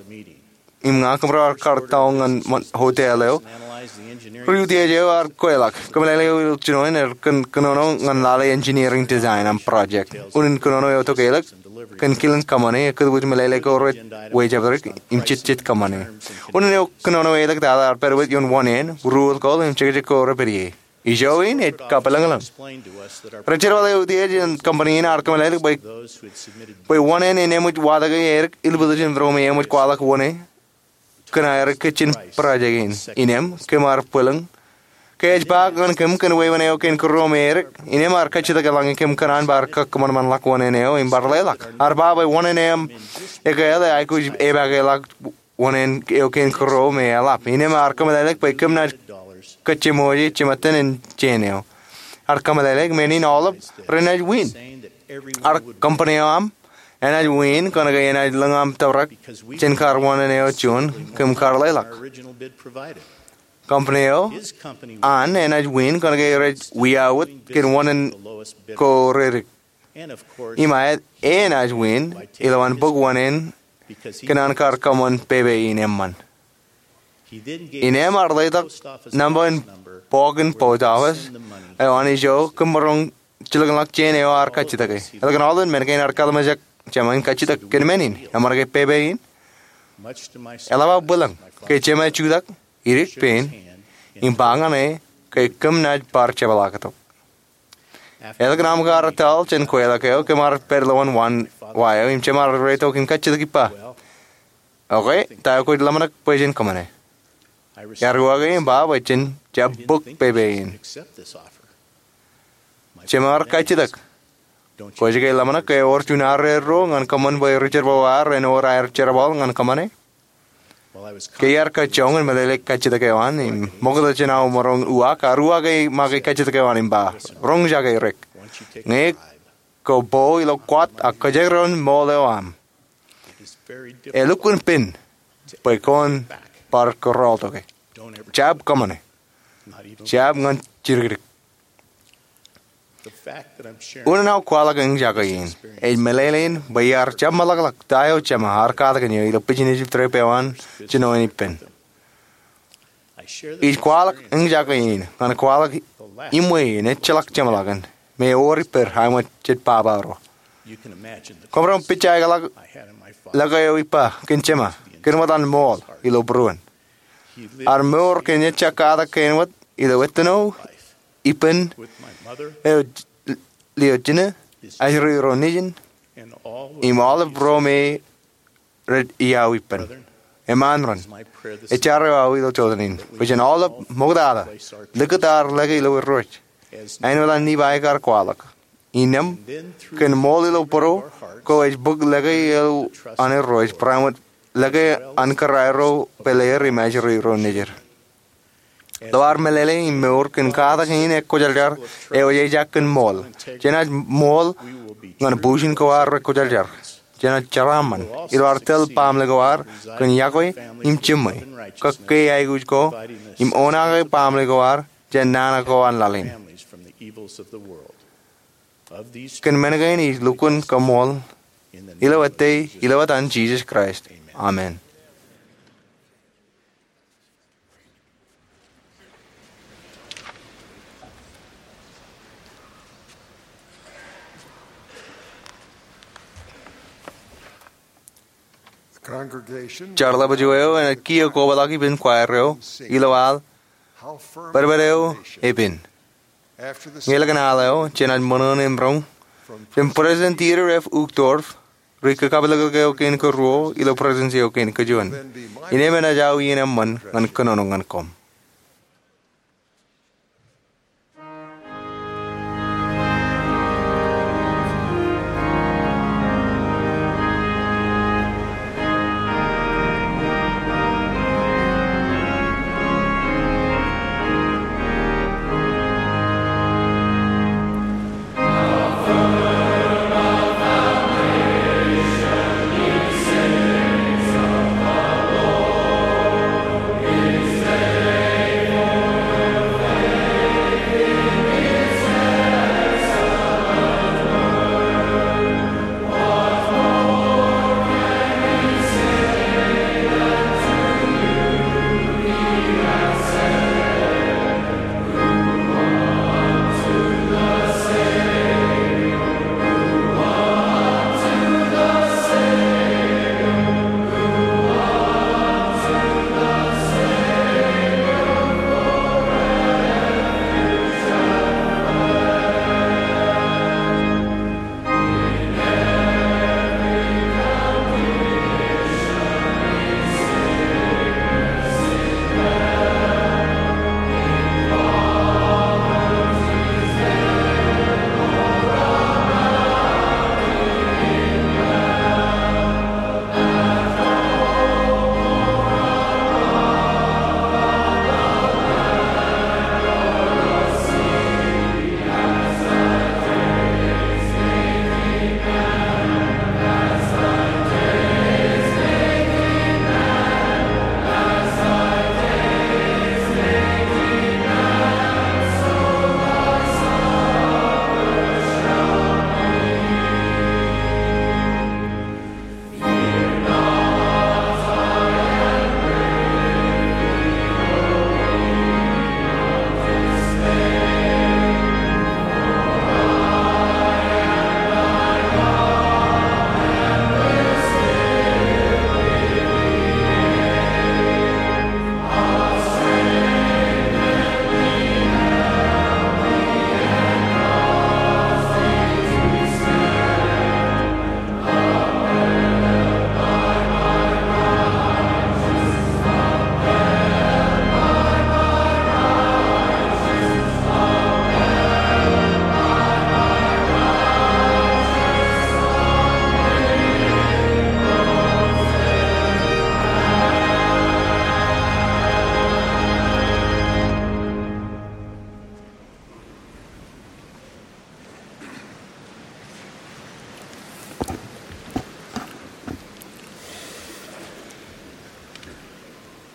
im ña kōmro ar kar tōl ñan hotel eo. Ri utiej eo ear kweilọk. Kōmeḷeḷe eo ilo jinoin er kōn kōnono ñan lale engineering design an project. Unin kōnono eo tokālik kōn kilen kōṃṃane ekkūtbwij meḷeḷe ko rej wejabdikdik im jejjet kōṃṃane. Unin eo kōnono eo tata ear pād wōt ioon wōṇāān, ruo ḷọk im jekjek ko rej pād ie. Ijo in ej kapilōñlōñ. Ri jerbal eo utiej an company in ear kōmeḷeḷe bwe wōṇāān en eṃōj watōke edik ilbwiljin ro me eṃōj kwaḷọk wōṇāān kōn aer ekōjjien project in. Innām kōm ar bwilōñ. Ke ej ba ñan kōm kōn wāween eo kein kōrro me edik, innām ear kajjitōk eḷaññe kōm kōṇaan bar kakōṃanṃanḷọk wōṇāān eo im bar leḷọk. Ear ba bwe wōṇāān eṃ ekāāl ej aikuj epakeḷọk wōṇāān eo kein kōrro me eḷap. Innām ear kōmeḷeḷe bwe kōm naaj kōjjeṃoje jeṃaten jān eo. ear kōmeḷeḷeik men in aolep renaaj wiin. Ear company eo aṃ enaaj wiin kōnke enaaj lōñ aṃ tōprak jān kar wōṇāān eo juon kōm kar leḷọk. Company eo an enaaj wiin kōnke rej wiaawōt kōn wōṇāān ko redik. Im aet, enaaj wiin ilo an bōk wōṇāān kōn an kar kōṃṃan pepe in eṃṃan. Innām ear letok nōṃba in bọọk in post office eo an ijo kōm maroñ jilkinḷọk jān eo ear kajjitōke. Ālikin aolep men kein ear kalimjek jema in kajjitōk kōn men in. Eṃṃan ke pepe in? Eḷap aō bwilōñ ke jema jutak, idik pein, im ba ñan e ke kōm naaj bar jepḷaaktok. Ālikin aṃ kar etal jān kweilọk eo, kōm ar pād lowaan waan wa eo im jema ar reitok in kajjitōk ippa, "Okay, ta eo kwōj ḷōmṇak bwe jen kōṃṃane?" Ear uwaake im ba bwe jen jab bōk pepe in. Jema ar kajjitōk, "Kwōj ke ḷōmṇak ke ewōr juon arro ñan kōṃṃan bwe ri jerbal eo aer en wōr aer jerbal ñan kōṃṃane?" Ke iar kōjjoñ in meḷeḷe kajjitōk eo an im ṃokta jān aō maroñ uwaak, ear uwaake ṃake kajjitōk eo an im ba, "Roñjake, Rick. Ñe kwō bo ilo kwaat ak kōjekdọọn ṃool eo aṃ, elukkuun pen bwe kwōn bar kōrọọltoke. Jab kōṃṃane. Jab ñan jidikdik." Unin aō kwaḷọk eñjake in ej meḷeḷein bwe iar jab meḷọkḷọk ta eo jema ar katakin eō ilo business trip eo an jinoin ippān. Ij kwaḷọk eñjake in ñan kwaḷọk iṃwe in ejjeḷọk jeṃḷọkin me ewōr ippād aṃ jet baba ro. Kwōmaroñ ṃōj aikuj ḷọk lōke eo ippa kōn jema kōn wōt an ṃool ilo būruon. Ear mour kōn ejja katak kein wōt ilo ettino ippān eo, lio jine, ajri ro nejin, im aolep ro me rej iawippān. Eṃṃan ren, ej jar eo aō ilo jotenin bwe jen aolep ṃoktata likūt ad lōke ilo erreo, āinwōt an Nifai kar kwaḷọk. Innām, kōn ṃool ilo būruo ko ej bōk lōke eo an erreo, barāinwōt lōke an kōrā ro pāleer im ajri ro nejid. Ḷeo ar meḷeḷe im mour kōn katak in ekkwōjarjar eo ej ejaak kōn ṃool, jenaaj ṃool ñan bujen ko ad rekwōjarjar. Jenaaj jeraaṃṃan ilo ad tōl baaṃle ko ad kōn iọkwe im jiṃwe, kake aikuj ko, im oṇaake baaṃle ko ad jān nana ko an laḷ in. Kōn men kein ij lukkuun kaṃṃool ilo ettā, ilo etan Jisōs Kraist. Amen. Jarlepju eo enaaj kiiō kobaḷọk ippān choir eo ilo al Bōdbōd Eo Epen. Ñe ḷọk an al eo, jenaaj ṃōṇōṇō im roñ jān President Dieter F. Uchtdorf, ri kakapeliklik eo kein karuo ilo President eo kein kajuon. Innām enaaj aō iien eṃṃan ñan kōnono ñan koṃ.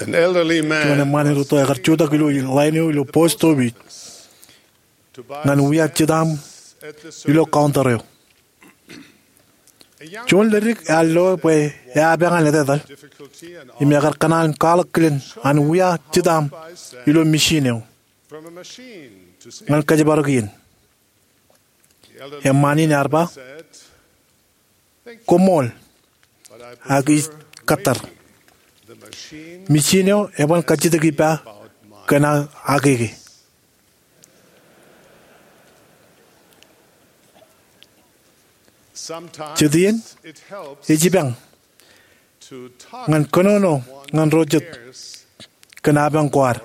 An elderly man Juon eṃṃaan in rūtto ekar jutak ilo line eo ilo post office ñan wia jitaaṃ ilo counter eo. Juon ledik ear loe bwe ear peñan etetal im ekar kōṇaan kwaḷọk kilen an wia jitaaṃ ilo machine eo ñan kōjparok iien. Eṃṃaan in ear ba, "Koṃṃool, ak ij kōttar. Machine eo eban kajjitōk ippa kōn aō akeke." Jet iien, ej jipañ ñan kōnono ñan ro jet kōn apañ ko ad.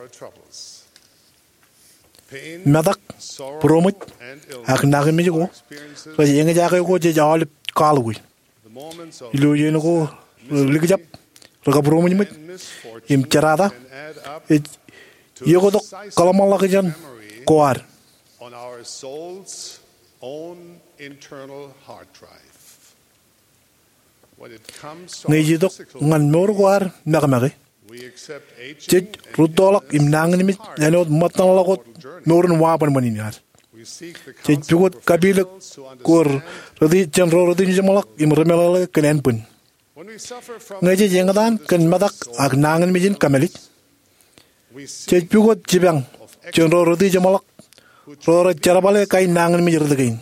Metak, būroṃōj, ak nañinmej ko rej eñjake ko jej aolep kwaḷọk. Ilo iien ko rej likjab, rekabūroṃōjṃōj, im jerata, ej ioktok kōḷmānḷọkjeṇ ko ad. Ñe ej itok ñan mour ko ad mekamake, jej rūttoḷọk im nañinmej āinwōt ṃōttanḷọk wōt mour in wabanban in ad. Jej pukot kapilōk ko reti, jān ro retijeṃḷọk im remeḷeḷe kōn ānbwin. Ñe jej eñtaan kōn metak ak nañinmej in kōmālij, jej pukot jipañ jān ro retijeṃḷọk ro rej jerbale kain nañinmej rot kein.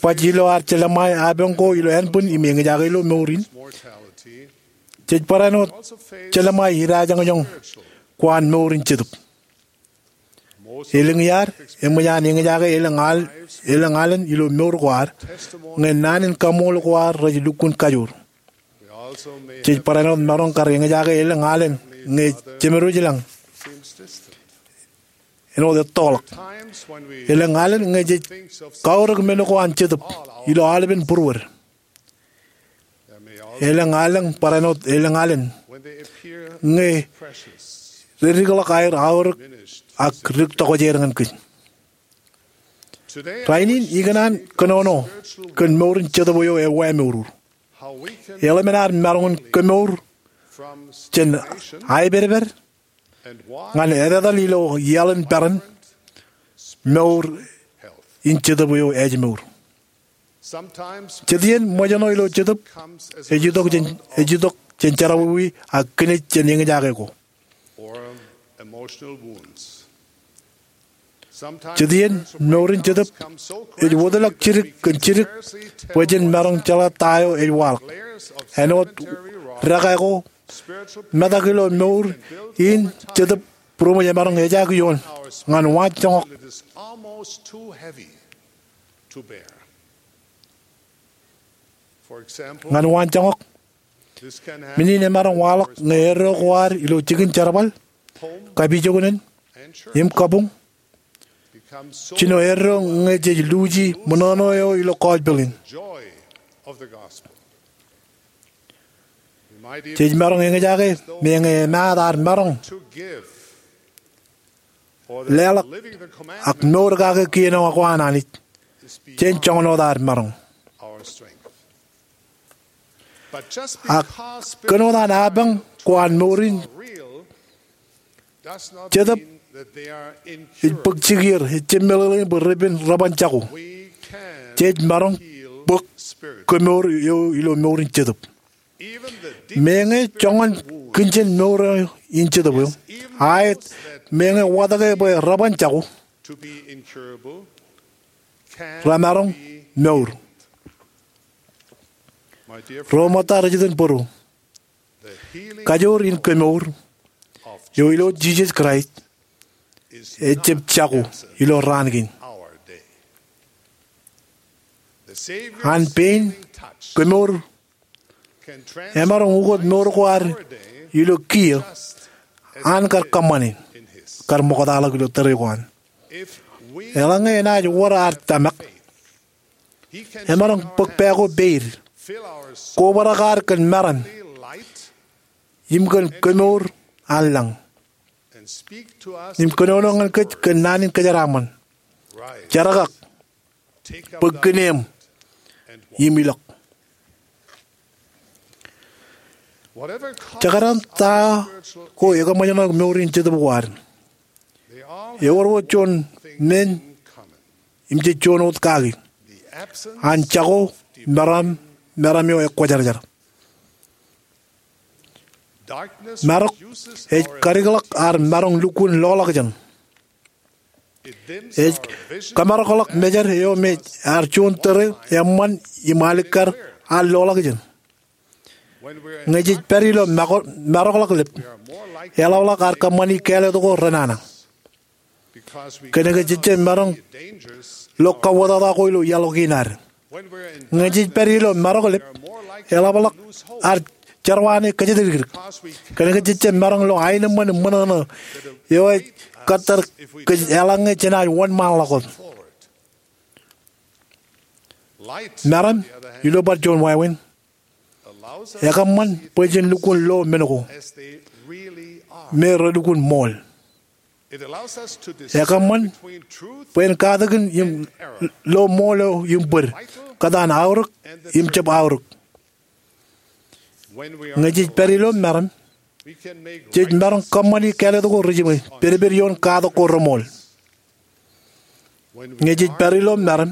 Baj ilo ad jelṃae apañ ko ilo ānbwin im eñjake ilo mour in, jej barāinwōt jelṃae idajoñjoñ ko an mour in jetōb. Elōñ iar eṃōj an eñjake elōñ al, elōñ alen ilo mour ko ad, ñe naan in kaṃṃool ko ad rej lukkuun kajoor. Jej barāinwōt maroñ kar eñjake elōñ alen ñe jemedwōj ilañ āinwōt ettoḷọk. Elōñ alen ñe jej kaorōk men ko an jetōb ilo aolepen būruod. Elōñ alen, barāinwōt elōñ alen ñe redikḷọk aer aorōk ak dik tokjāer ñan kōj. Rainin ikōṇaan kōnono kōn mour in jetōb eo ewōr mour. Eḷap an ad maroñ in kemour jān aepedped ñan etetal ilo iaḷ in peran, mour in jetōb eo ej mour. Jet iien ṃōjṇọ ilo jetōb ej itok jān, ej itok jān jerọwiwi ak kinej jān eñjake ko. Jet iien mour in jetōb ej wōtlọk jidik kōn jidik bwe jen maroñ jeḷā ta eo ej waḷọk. Āinwōt dākā ko, metak ilo mour in jetōb būroṃōj emaroñ ejaak ioon ñan waanjoñak. Ñan waanjoñak, men in emaroñ waḷọk ñe eddo ko ad ilo jikin jerbal, kapijuknen, im kabuñ, jino eddo ñe jej luuji ṃōṇōṇō eo ilo gospel in. Jej maroñ eñjake meñe emaat ad maroñ leḷọk ak mour kake kien eo ko an Anij jān joñan wōt ad maroñ. Ak kōn wōt an apañ ko an mour in jetōb ej bōk jikier, ejjab meḷeḷein bwe repen reban jako. Jej maroñ bōk kemour eo ilo mour in jetōb. Meñe joñan kōn jān mour in jetōb eo, aet, meñe watōke bwe reban jako, remaroñ mour. Ro ṃōtta ri-jitōnbōro, kajoor in kemour eo ilo Jisōs Kraist ejjab jako ilo raan kein. An pein kemour emaroñ ukot mour ko ad ilo kiiō an kar kōṃṃane, kar ṃoktaḷọk ilo tōre ko an. Eḷaññe enaaj wōr ad tōmak, emaroñ bōk pā ko peid, kobrak ad kōn meram im kōn kemour an lañ, im kōnono ñan kōj kōn naan in kōjeraaṃṃan, jerkak, bōk kine eṃ im ilọk. Jekdọọn ta ko ekōṃṃan ṇe mour in jetōb ko ad, ewōr wōt juon men im jej juon wōt kaki: an jako meram, meram eo ekwōjarjar. Marok ej kadikḷọk ad maroñ lukkuun loḷọkjeṇ. Ej kōmarokḷọk mejād eo me ear juon tōre eṃṃan im alikkar ad loḷọkjeṇ. Ñe jej pād ilo marokḷọk lep, eḷapḷọk ad kōṃṃani kāālōt ko renana, kōnke jej jab maroñ lo kawōtata ko ilo iaḷ kein ad. Ñe jej pād ilo marok lep, eḷapḷọk ad jerọwiwi kōjatdikdik, kōnke jej jab maroñ lo aenōṃṃan im ṃōṇōṇō eo ej kōttar kōj eḷaññe jenaaj wōnṃaanḷọk wōt. Meram, ilo bar juon wāween, ekōṃṃan bwe jen lukkuun lo men ko me relukkuun ṃool. Ekōṃṃan bwe en katakin im lo ṃool im bōd, kōtaan aorōk im jab aorōk. Ñe jej pād ilo meram, jej maroñ kōṃṃani kāālōt ko rej jiṃwe pedped ioon katak ko reṃool. Ñe jej pād ilo meram,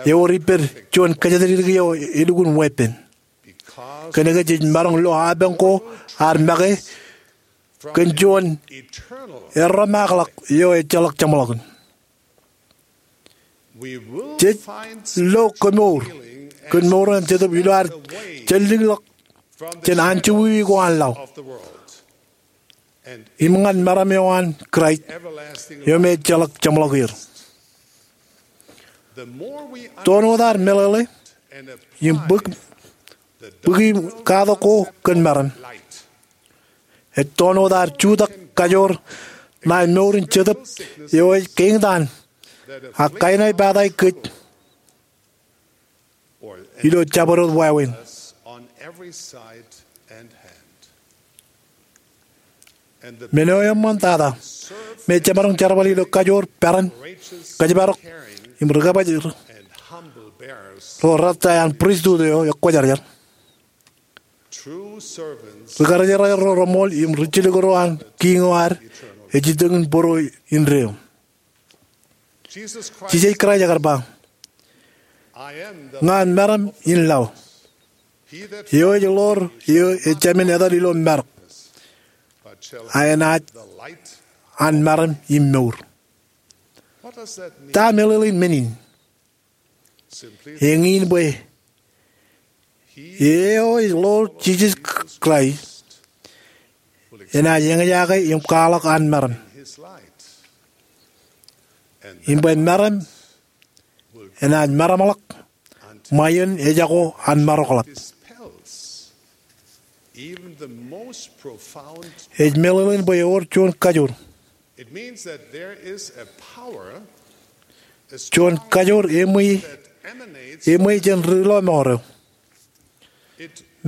ewōr ippād juon kōjatdikdik eo elukkuun weeppān, kōnke jej maroñ lo apañ ko ad make kōn juon erreṃaakḷọk eo ejjeḷọk jeṃḷọkin. Jej lo kemour kōn mour eo an Jetōb ilo ad jellōñḷọk jān anjọwiwi ko an laḷ im ñan meram eo an Kraist eo me ejjeḷọk jeṃḷọk er. Toon wōt ad meḷeḷe im bōk bōki katak ko kōn meram, ej toon wōt ad jutak kajoor ṇae mour in jetōb eo ej kein taan ak kainaipatai kōj ilo jabdewōt wāween. Men eo eṃṃantata me jemaroñ jerbal ilo kajoor, peran, kōjparok im ri-kōbaj ro rattā an pristut eo ekwōjarjar, ri-karijer ro reṃool im ri-jilkinro an Kiiñ eo ad ej itok im bōro indeeo. Jisōs Kraist ekar ba, "Ña meram in laḷ. Eo ej ḷoor eo ejāmin etal ilo marok, a enaaj an meram im mour." Ta meḷeḷein men in? Eñin bwe eo ej ḷoor Jisōs Kraist enaaj eñjake im kwaḷọk an meram, im bwe meram enaaj meramḷọk ṃae iien ejako an marokḷap. Ej meḷeḷein bwe ewōr juon kajoor, juon kajoor eṃōj, eṃōj jān ri-lọmọọr eo.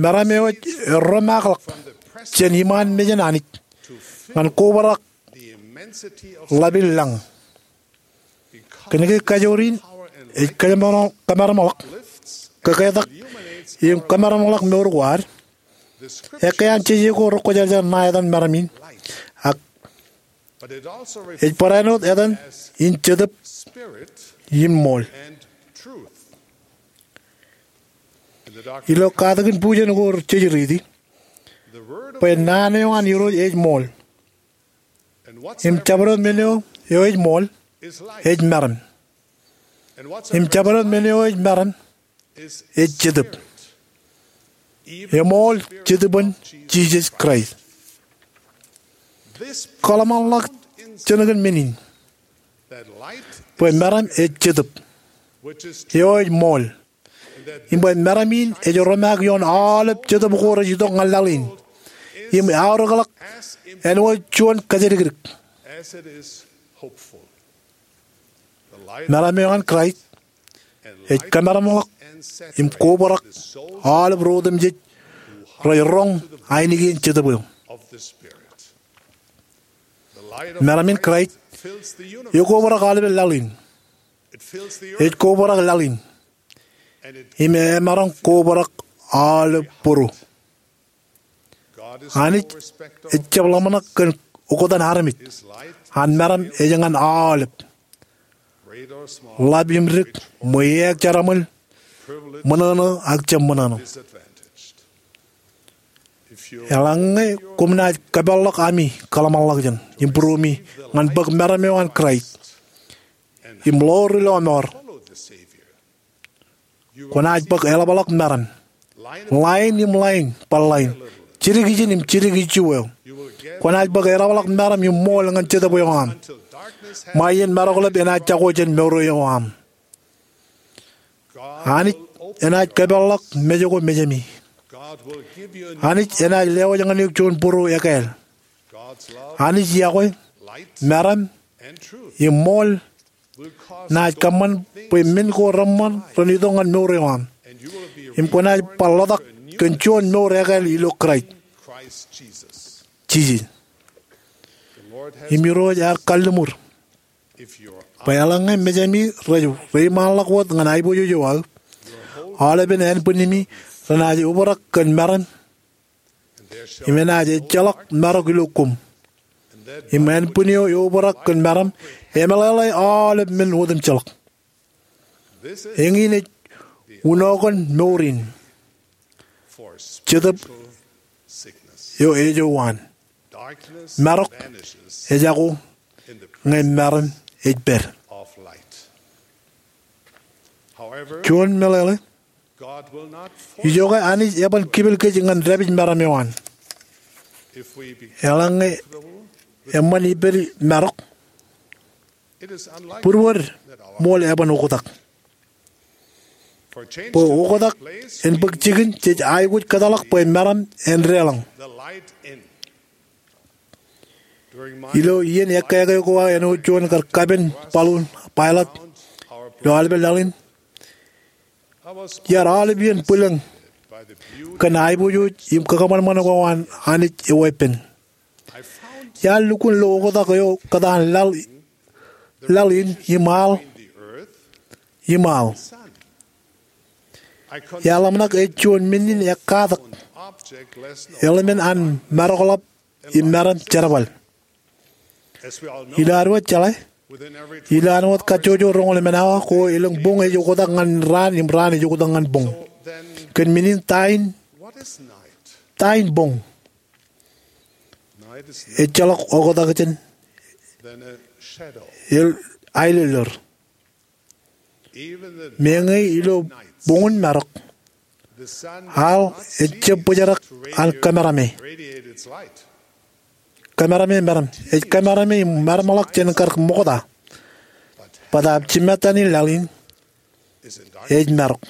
Meram eo ej erreṃaakḷọk jān iṃaan mejān Anij ñan kobrak ḷap in lañ. Kōnke kajoor in ej kōmeramḷọk, kōmeramḷọk, kōketak im kōmeramḷọk mour ko ad, ekkā an jeje ko rekwōjarjar ṇae etan meram in, ak ej barāinwōt etan in jetōb im ṃool. Ilo katakin bujen ko rej riiti bwe naan eo an Irooj ej ṃool, im jabdewōt men eo ej ṃool ej meram, im jabdewōt men eo ej meram ej Jetōb, eṃool Jetōbōn Jisōs Kraist. Kōḷmānḷọkjeṇ kōn men in, bwe meram ej Jetōb eo ej ṃool, im bwe meram in ej romaak ioon aolep jetōb ko rej itok ñan laḷ in, im eaorōkḷọk āinwōt juon kōjatdikdik. Meram eo an Kraist ej kōmeramḷọk im kobrak aolep ro otemjej rej roñ ainikien Jetōb eo. Meram in Kraist ekobrak aolepen laḷ in. Ej kobrak laḷ in, im emaroñ kobrak aolep bōro. Anij ejjab ḷōmṇak kōn oktak armej. An meram ej ñan aolep, ḷap im dik, ṃweiuk, jeraṃōl, ṃōṇōṇō ak jab ṃōṇōṇō. Eḷaññe koṃ naaj kōpeḷḷọk ami kōḷmānḷọkjeṇ im būruemi ñan bōk meram eo an Kraist im ḷoor ilo eṃoor, kwōnaaj bōk eḷapḷọk meram, ḷain im ḷain bar ḷain, jidik ijin im jidik ijjuweo. Kwōnaaj bōk eḷapḷọk meram im ṃool ñan jetōb eo aṃ, ṃae iien maroklep enaaj jako jān mour eo aṃ. Anij enaaj kōpeḷḷọk mej ko mejāmi. Anij enaaj lewōj ñan eok juon būruo ekāāl. Anij iọkwe, meram, im ṃool naaj kōṃṃan bwe men ko reṃṃan ren itok ñan mour eo aṃ, im kwōnaaj bar ḷotak kōn juon mour ekāāl ilo Kraist Jisōs. Im Irooj ear kalliṃur bwe eḷaññe mejāmi rej reiṃaanḷọk wōt ñan aiboojoj eo aō, aolepen ānbwinnimi renaaj obrak kōn meram, im enaaj ejjeḷọk marok ilo koṃ. Im ānbwin eo eobrak kōn meram emeḷeḷe aolep men otemjeḷọk. Eñin ej unookon mour in, jetōb eo ejouwaan. Marok ejako ñe meram ej pād. Juon meḷeḷe, ijoke Anij eban kipel kōj ñan dāpij meram eo an. Eḷaññe eṃṃan ippād marok, būruod ṃool eban oktak. Bwe oktak en bōk jikin jej aikuj kōtḷọk bwe meram en deḷọñ. Ilo iien ekkāke ko aō āinwōt juon kar kapen baḷuun pilot ilo aolepen laḷ in, iar aolep iien bwilōñ kōn aiboojoj im kakōṃanṃan ko an Anij eweeppān. Iar lukkuun lo oktak eo kōtaan laḷ laḷ in im aḷ, im aḷ. Iar ḷōmṇak ej juon men in ekkatak eḷmen an marokḷap im meram jerbal. Ilo ad wōj jeḷā, ilo ad wōj kajjojo roñoul emān awa ko elōñ boñ ej oktak ñan raan im raan ej oktak ñan boñ. Kōn men in ta in, ta in boñ? Ejjeḷọk oktak jān aelōllōr. Meñe ilo boñun marok, aḷ ejjab bōjrak an kōmerame. Kōmerame meram, ej kōmerame im maroñḷọk jān kar ṃokta. Bōtaab jimettan in laḷ in ej marok.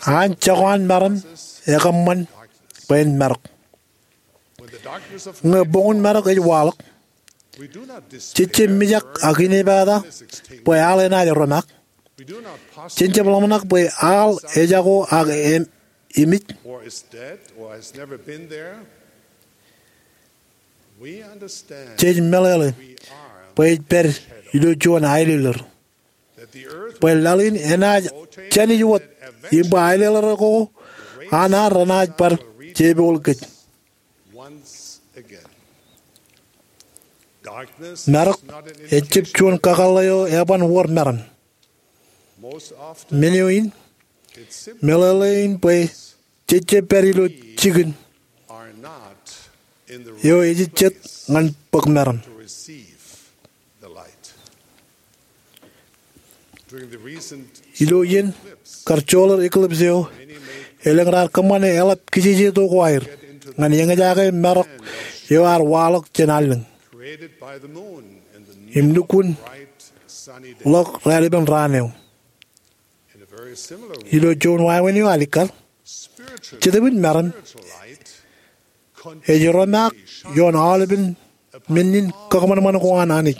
An jako an meram ekōṃṃan bwe en marok. Ñe boñun marok ej waḷọk, jej jab mijak ak inepata bwe aḷ enaaj romaak. Jen jab ḷōmṇak bwe aḷ ejako ak emej. Jej meḷeḷe bwe ej pād ilo juon aelōllōr, bwe laḷ in enaaj jānij wōt im bwe aelōllōr ko an aer renaaj bar jepoul kōj. Marok ejjab juon kakōḷḷe eo eban wōr meram. Men eo in, meḷeḷe in bwe jej jab pād ilo jikin eo ejejjet ñan bōk meram. Ilo iien kar joḷọk eclipse eo, elōñ raar kōṃṃane eḷap kijejeto ko aer ñan eñjake marok eo ear waḷọk jān allōñ im lukkuun ḷọk raelepen raan eo. Ilo juon wāween eo alikkar, jetōb in meram ej romaak ioon aolepen men in kakōṃanṃan ko an Anij.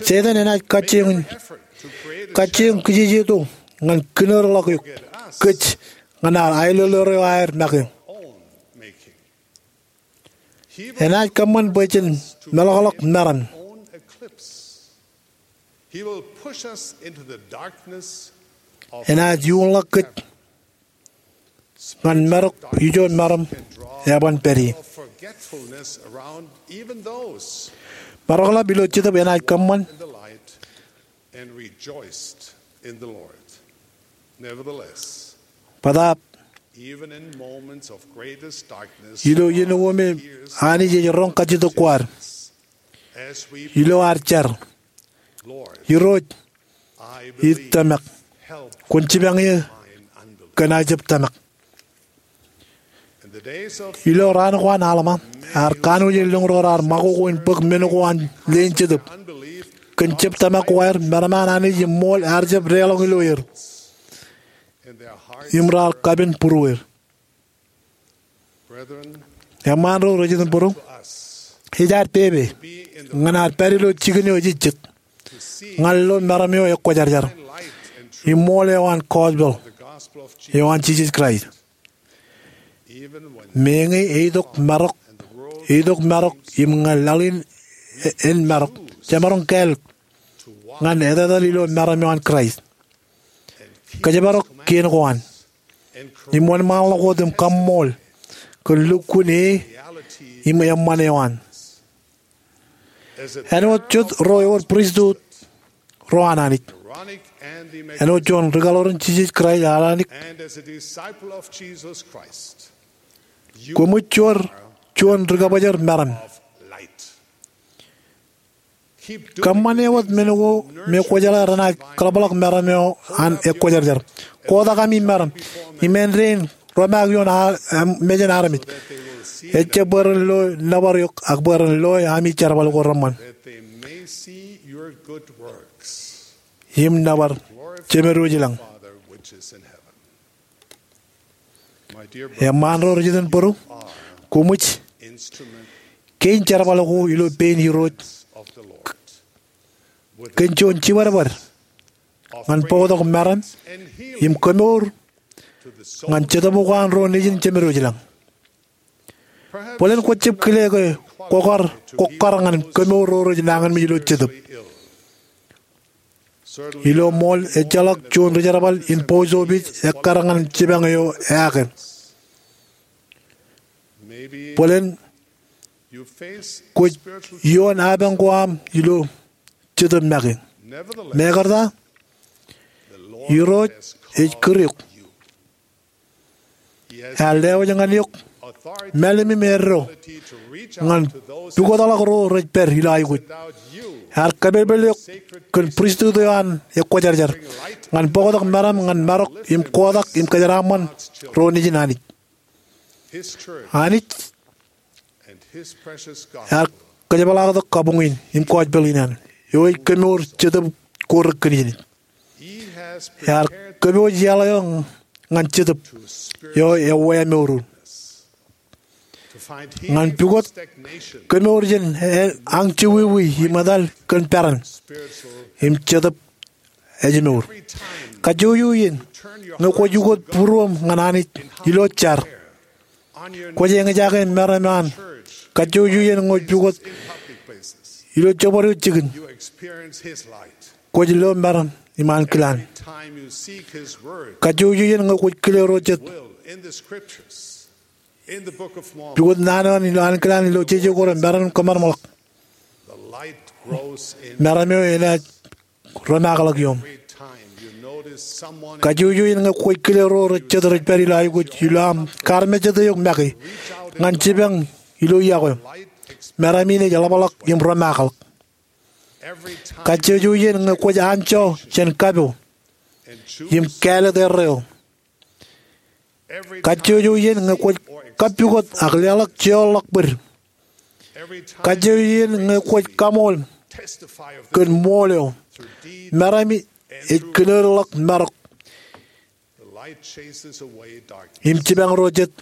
Setan enaaj kajjioñ, kajjioñ kijejeto ñan kinōdḷọk eok, kōj, ñan aelōllōr eo aer make. Enaaj kōṃṃan bwe jen meḷọkḷọk meram. Enaaj iuṃḷọk kōj ñan marok ijo meram eban pād ie. Maroḷap ilo Jetōb enaaj kōṃṃan. Bōtaab, ilo iien ko me Anij ej roñ kajjitōk ko ad, ilo ad jar, Irooj, ij tōmak. Kwōn jipañ eō kōn aō jab tōmak. Ilo raan ko an Alma, ear kanooj elōñ ro raar ṃakoko in bōk men ko an leen jetōb. Kōn jab tōmak ko aer, meram an Anij im ṃool ear jab deḷọñ ilo er, im raar kapen būrueir. Eṃṃaan ro rej iten būruō, ej ad pepe ñan ad pād ilo jikin eo ejejjet, ñan lo meram eo ekwōjarjar, im ṃool eo an gospel eo an Jisōs Kraist. Meñe eitok marok, eitok marok im ñe laḷ in en marok, jemaroñ kāālōt ñan etetal ilo meram eo an Kraist, kōjparok kien ko an, im wōnṃaanḷọk wōt im kaṃṃool kōn lukkuun e im eṃṃan eo an. Āinwōt jet ro ewōr pristut ro an Anij, āinwōt juon rikaḷoor in Jisōs Kraist an Anij, koṃij juon rikabōjor meram. Kōṃṃane wōt men ko me kwō jeḷā renaaj kaḷapḷọk meram eo an ekwōjarjar. Kotak ami meram im āindein romaak ioon mejān armej, ejjab bwe ren lo nōbar eok ak bwe ren loe ami jerbal ko reṃṃan im nōbar Jemedwōj ilañ. Eṃṃaan ro rej iten būruō, koṃij kein jerbal ko ilo pein Irooj kōn juon jibadbad ñan bōktok meram im kemour ñan Jetōb ko an ro nejin Jemedwōj ilañ. Bōlen kwōjab kile ke kwōkar, kwōkar ñan kemour ro rej nañinmej ilo Jetōb. Ilo ṃool ejjeḷọk juon ri-jerbal in post office ekkar ñan jipañ eo eaakōt. Bōlen kwōj ioon apañ ko aṃ ilo Jetōb make. Mekarta, Irooj ej kūr eok. Ear lewōj ñan eok mālim im eddo ñan pukotḷọk ro rej pād ilo aikuj. Ear kapelpel eok kōn pristut eo an ekwōjarjar ñan bōktok meram ñan marok im kotak im kōjeraaṃṃan ro nejin Anij. Anij ear kōjepḷaaktok kabuñ in im gospel in an eo ej kemour Jetōb ko rekinejinej. Ear kōpooj iaḷ eo ñan Jetōb eo eweemour. Ñan pukot kemour jān añjewōj im etal kōn peran im Jetōb ejmour. Kajjojo iien ñe kwōj ukōt būruōṃ ñan Anij ilo jar, kwōj eñjake meram an. Kajjojo iien ñe kwōj pukot ilo jabdewōt jikin, kwōj lo meram im ankilaan. Kajjojo iien ñe kwōj kile ro jet, pukot naan eo an ilo ankilaan ilo jeje ko re meram im kōṃanṃanḷọk, meram eo enaaj romaakḷọk iom. Kajjojo iien ñe kwōj kile ro jet rej pād ilo aikuj ilo aṃ kaarmejjete eok make ñan jipañ ilo iọkwe, meram in ej ḷapḷọk im romaakḷọk. Kajjojo iien ñe kwōj anjọ jān kapo im kāālōt erreo. Kajjojo iien ñe kwōj kappukot ak leḷọk jeorḷọk bōd. Kajjojo iien ñe kwōj kaṃool kōn ṃool eo, meram ej kinourḷọk marok im jipañ ro jet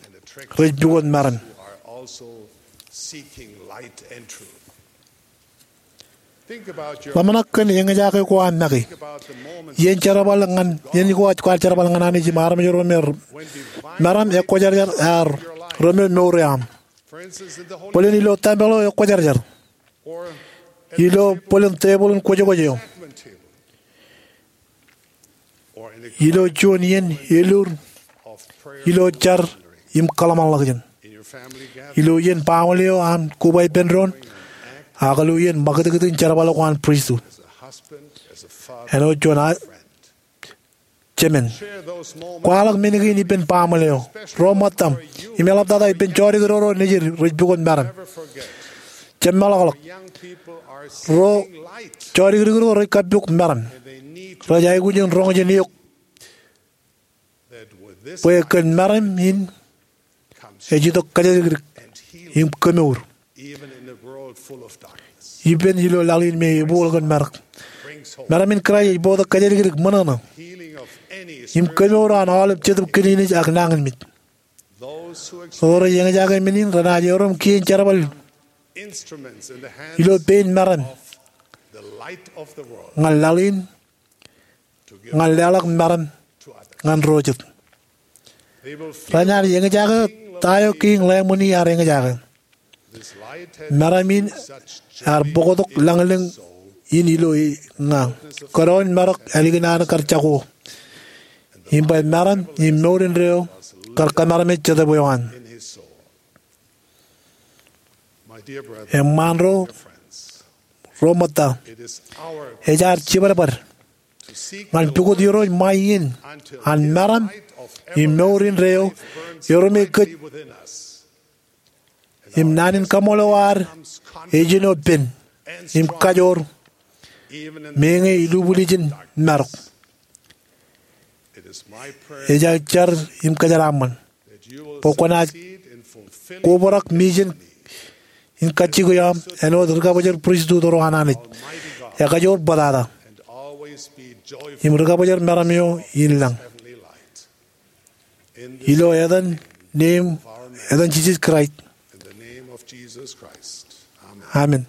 rej pukot meram. Ḷōmṇak kōn eñjake ko aṃ make. Iien jerbal ñan, iien ko kwōj jerbal ñan Anij im armej ro me meram ekwōjarjar ear remour mour eo aṃ. Bōlen ilo tempel eo ekwōjarjar, ilo bōlen tebōḷ in kwōjkwōj eo, ilo juon iien elur ilo jar im kōḷmānḷọkjeṇ, ilo iien baaṃle eo an koba ippān doon, ak ilo iien ṃakūtkūt in jerbal ko an pristut. Āinwōt juon jemān, kwaḷọk men kein ippān baaṃle eo, ro ṃōttaṃ, im eḷaptata ippān jodikdoro nejid rej pukot meram. Jab meḷọkḷọk, ro jodikdoro rej kappok meram, rej aikuj in roñ jān eok bwe kōn meram in ej itok kōjatdikdik im kemour, ippān ilo laḷ in me ebooḷ kōn marok. Meram in Kraist ej bōktok kōjatdikdik, ṃōṇōṇō, im kemour an aolep jetōb kiliniej ak nañinmej. Ro rej eñjake men in renaaj erom kien jerbal ilo pein meram ñan laḷ in, ñan leḷọk meram ñan ro jet. Renaaj eñjake ta eo Kiiñ Lamb in ear eñjake. Meram in ear bōktok lañlōñ in ilo eñin. Kōnono in marok ālikin an kar jako, im bwe meram im mour indeeo kar kōmeremeej Jetōb eo an. Eṃṃaan ro, ro ṃōtta, ej ad jibadbad ñan pukot Irooj ṃae iien an meram im mour indeeo erom kōj, im naan in kaṃṃoolol ad ejino pen im kajoor meñe ilubwiljin marok. Ej aō jar im kōjeraaṃṃan bwe kwōnaaj kobrak mejān in kajjikwe aṃ āinwōt ri-kabōjor pristut ro an Anij, ekajoor bōtata, im ri-kabōjor meram eo in lañ. Ilo etan, name, etan Jisōs Kraist. Amen.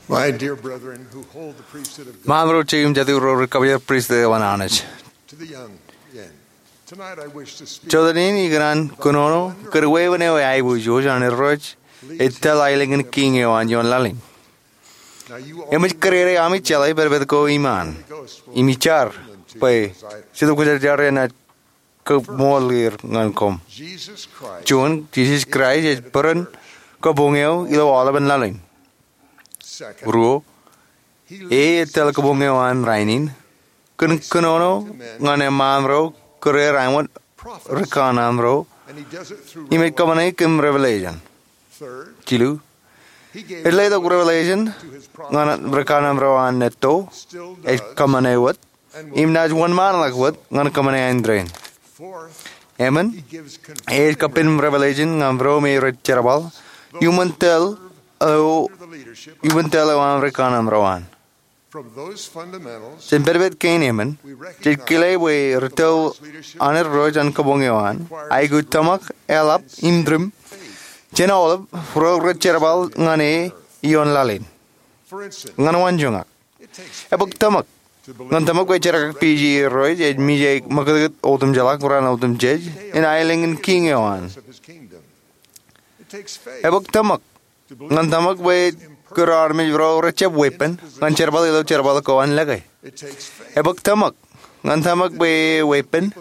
My dear brethren who hold the priesthood of God, Ṃaan ro jeiū im jatū ro ri-kabōjor pristut eo an Anij. To the young men, tonight I wish to speak. Jota in ikōṇaan kōnono kōn wāween eo eaiboojoj an Irooj ej tōl aelōñ in kiiñ eo an ioon laḷ in. Now you all Eṃōj kōrere ami jeḷā pād pād ko iṃaan im ij jar bwe Jetōb Kwōjarjar enaaj kaṃṃoolol er ñan koṃ. Jesus Christ. Juon, Jisōs Kraist ej bōran kabuñ eo ilo aolepen laḷ in. Second, ruo, e ej tōl kabuñ eo an rainin. Kōn kōnono ñan eṃṃaan ro kōrā ro āinwōt ri kanaan ro, and he does it through im ej kōṃṃane kōn revelation. Third, jilu, he gave ej letok revelation ñan ri kanaan ro an etto, still does, ej kōṃṃane wōt, im naaj wōnṃaanḷọk wōt ñan kōṃṃane āindein. Fourth, eṃṃan, he gives conviction, e ej kappān revelation ñan ro me rej jerbal iuṃwin tōl eo, under the leadership of, iuṃwin tōl eo an ri kanaan ro an. From those fundamentals, jān pād pād kein eṃṃan, we recognize jej kile bwe ri tōl an Irooj an kabuñ eo an aikuj tōmak, eḷap im tūṃ jān aolep ro rej jerbal ñan e ioon laḷ in. For instance, ñan waanjoñak, ebōk tōmak ñan tōmak bwe jerkakpeje Irooj ej mijak ṃakūtkūt otemjeḷā raan otemjej in aelōñ in kiiñ eo an. Ebōk tōmak ñan tōmak bwe kūr armej ro rejjab weeppān ñan jerbal ilo jerbal ko an lōke. Ebōk tōmak ñan tōmak bwe weeppān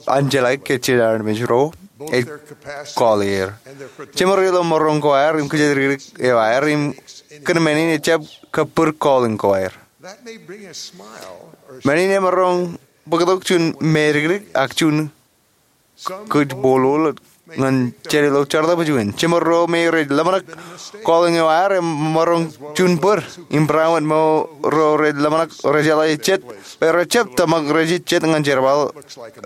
an jeḷā ke jen armej ro ej call er, jeṃor ilo maroñ ko aer im kōjatdikdik eo aer im kōn men in ejjab kabbūr calling ko aer. Men in emaroñ bōktok juon mātōktok ak juon kōjbōḷoḷ ñan jān ilo jeraḷ bwe juon, jeṃor ro me rej ḷōmṇak calling eo aer emaroñ juon bōd im barāinwōt ro rej ḷōmṇak, rej jeḷā jet bwe rejjab tōmak rej jet ñan jerbal,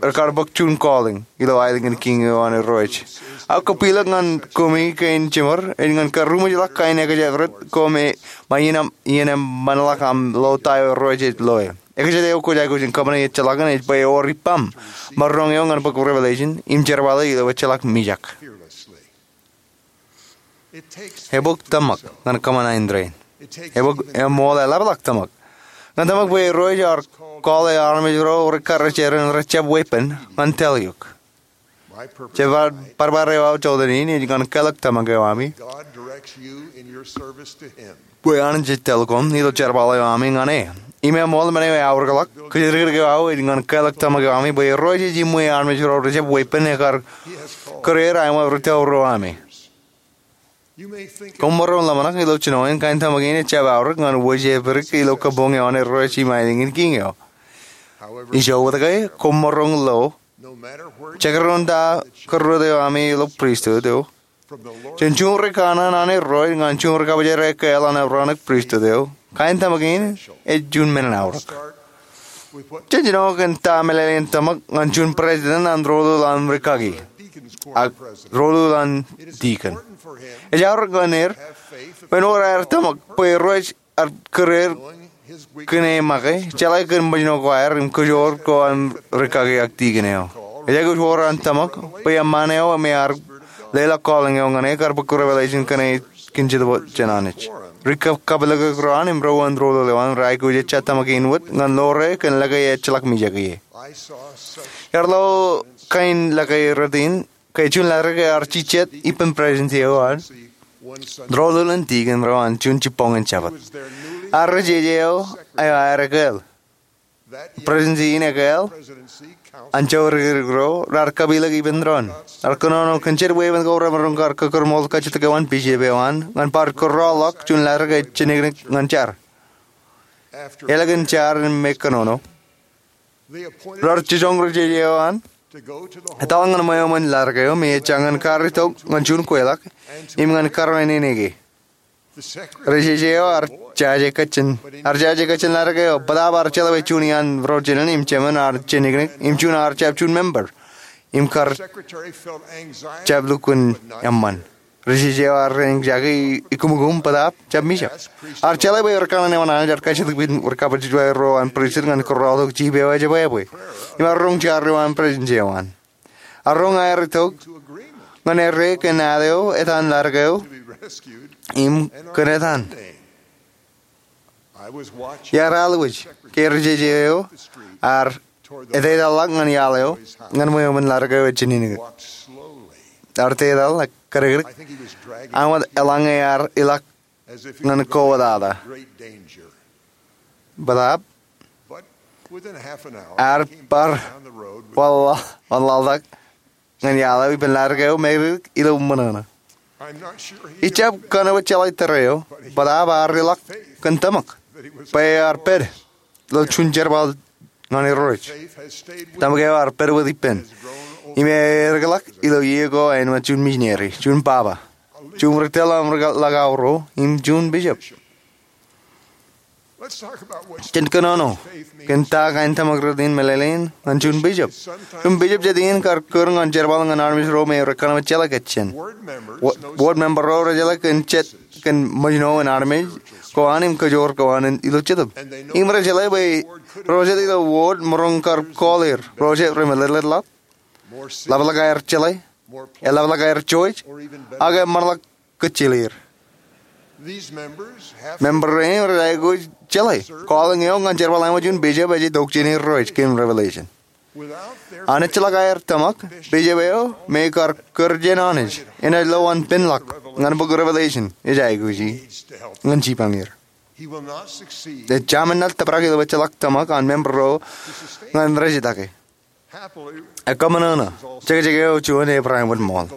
rekar bōk juon calling ilo aelōñ in kiiñ eo an Irooj. Ak kab ilo ñan koṃi kein jeṃor ej ñan karuṃwij ḷọk kain ekjāpret ko me ṃae iien eṃṃanḷọk aṃ lo ta eo Irooj ej loe. Ekjāpret eo kwōj aikuj in kōṃṃane ejjeḷọkin ej bwe ewōr ippaṃ maroñ eo ñan bōk revelation im jerbale ilo ejjeḷọk mijak. Ebōk tōmak ñan kōṃṃan āindein. Ebōk eṃool eḷapḷọk tōmak ñan tōmak bwe Irooj ear call e armej ro rekar ej ren rejjab weeppān ñan tōl eok. Jet bar bar eo aō jota in ej ñan kālōk tōmak eo ami bwe an jej tōl koṃ ilo jerbal eo ami ñan e. Im eṃool men eo eaorōkḷọk, kōjatdikdik eo aō ej ñan kālōk tōmak eo ami bwe Irooj ej iṃwe armej ro rejab weeppān ekar kūr er aṃ rūtto ro ami. Koṃ maroñ ḷōmṇak ilo jino in kain tōmak in ejjab aorōk ñan wōj epād ilo kabuñ eo an Irooj im aelōñ in Kiiñ eo. Ijo wōt ke, koṃ maroñ lo jekdọọn ta kōrrot eo ami ilo pristut eo, jān juon ri kanaan an Irooj ñan juon ri kabōjrak ekkā ḷọk an aorōk pristut eo, kain tōmak in ej juon men in aorōk. Jen jino kōn ta meḷeḷein tōmak ñan juon president an doulul an rikaki ak doulul an dikon. Ej aorōk ñan er ren wōr aer tōmak bwe Irooj ear kūr er kōn e make, jeḷā kōn ṃōjṇọ ko aer im kōjoor ko an rikaki ak dikon eo. Ej aikuj wōr an tōmak bwe eṃṃan eo me ear leḷọk calling eo ñan e kar bōk revelation kōn e kōn Jetōb jān Anij. Ri kab- kabwilōklōk ro an im ro an doulul eo an raikuj ejja tōmak in wōt ñan ḷoor e kōn lōke ejjeḷọk mijak ie. Iar lo kain lōke rot in ke juon laḷ ke ear jijet ippān presidency eo an doulul in dikon ro an juon jibboñin Jabōt. Ear ri jeje eo eo aer ekāāl. Presidency in ekāāl an jabdikdik ro raar kabwilōk ippān doon. Ear kōnono kōn jet weeppān ko remaroñ kar kōkūrmool kajjitōk eo an bishop eo an ñan bar kōrọọlḷọk juon laḷ ke ej jenikinik ñan jar. Eḷap kōn jar in me kōnono, raar jijoñ ri jeje eo an etal ñan ṃweo ṃōn laḷ eo me ejja ñan karitok ñan juon kweilọk im ñan karuwainene ke. Ri jeje eo ear jaje kajjien, ear jaje kajjien laḷ eo, bōtaab ear jeḷā bwe juon iaan ro jinen im jemān ear jenikinik im juon ear jab juon member im kar jab lukkuun eṃṃan. Ri jeje eo ear ri anxiety, ikkūmkūm, bōtaab jab mijak. Ear jeḷā bwe ri kanaan eo an Anij ear kajjitōk ippān ri kabōjrak ro an pristut ñan kōrọọltok jip eo ejebwābwe im ear roñ jar eo an presidency eo an. Ear roñ aer itok ñan errā kōn ad eo etan laḷ eo im kōn etan. Iar alwōj ke ri jeje eo ear etetal ḷọk ñan iaḷ eo ñan ṃweo ṃōn laḷ eo ej jenikinik. Ear etetal kōdikdik, ak wōt eḷaññe ear ilọk ñan kowōtata. Bōtaab ear bar wanlaḷtak ñan iaḷ eo ippān laḷ eo me ri ilo ṃōṇōṇō. Ij jab kōn wōt jeḷā tōre eo, bōtaab ear ilọk kōn tōmak bwe ear pād ilo juon jerbal ñan Irooj. Tōmak eo ear pād wōt ippān im ear eklọk ilo iiō ko āinwōt juon misineri, juon baba, juon ri tōl ḷọk aorōk im juon bishop. Jen kōnono kōn ta kain tōmak rot in meḷeḷein ñan juon bishop. Juon bishop jet in kar kūr ñan jerbal ñan armej ro me rej kōnke jeḷā kajjien. Wōt, wōt member ro rej jeḷā kōn jet kōn ṃōjṇọ in armej ko an im kōjoor ko an ilo Jetōb. Im rej jeḷā bwe ro jet ilo wōt maroñ kar call er ro jet remeḷeḷeḷḷọk, ḷapḷọk aer jeḷā, eḷapḷọk aer jouj, ak eṃṃanḷọk kōjjeḷ er. Member ro im rej aikuj jeḷā calling eo ñan jerbal eo ṃōk juon bishop ej itok jān Irooj kōn revelation. An ejjeḷọk aer tōmak, bishop eo me kar kūr jān Anij enaaj lo an penḷọk ñan bōk revelation ej aikuji ñan jipañ er. Ejjab men enaaj tōprak ilo ejjeḷọk tōmak an member ro ñan rej itake. Ekkōṃṃan eṇ, jekjek eo juon ej Abraham wōt ṃool.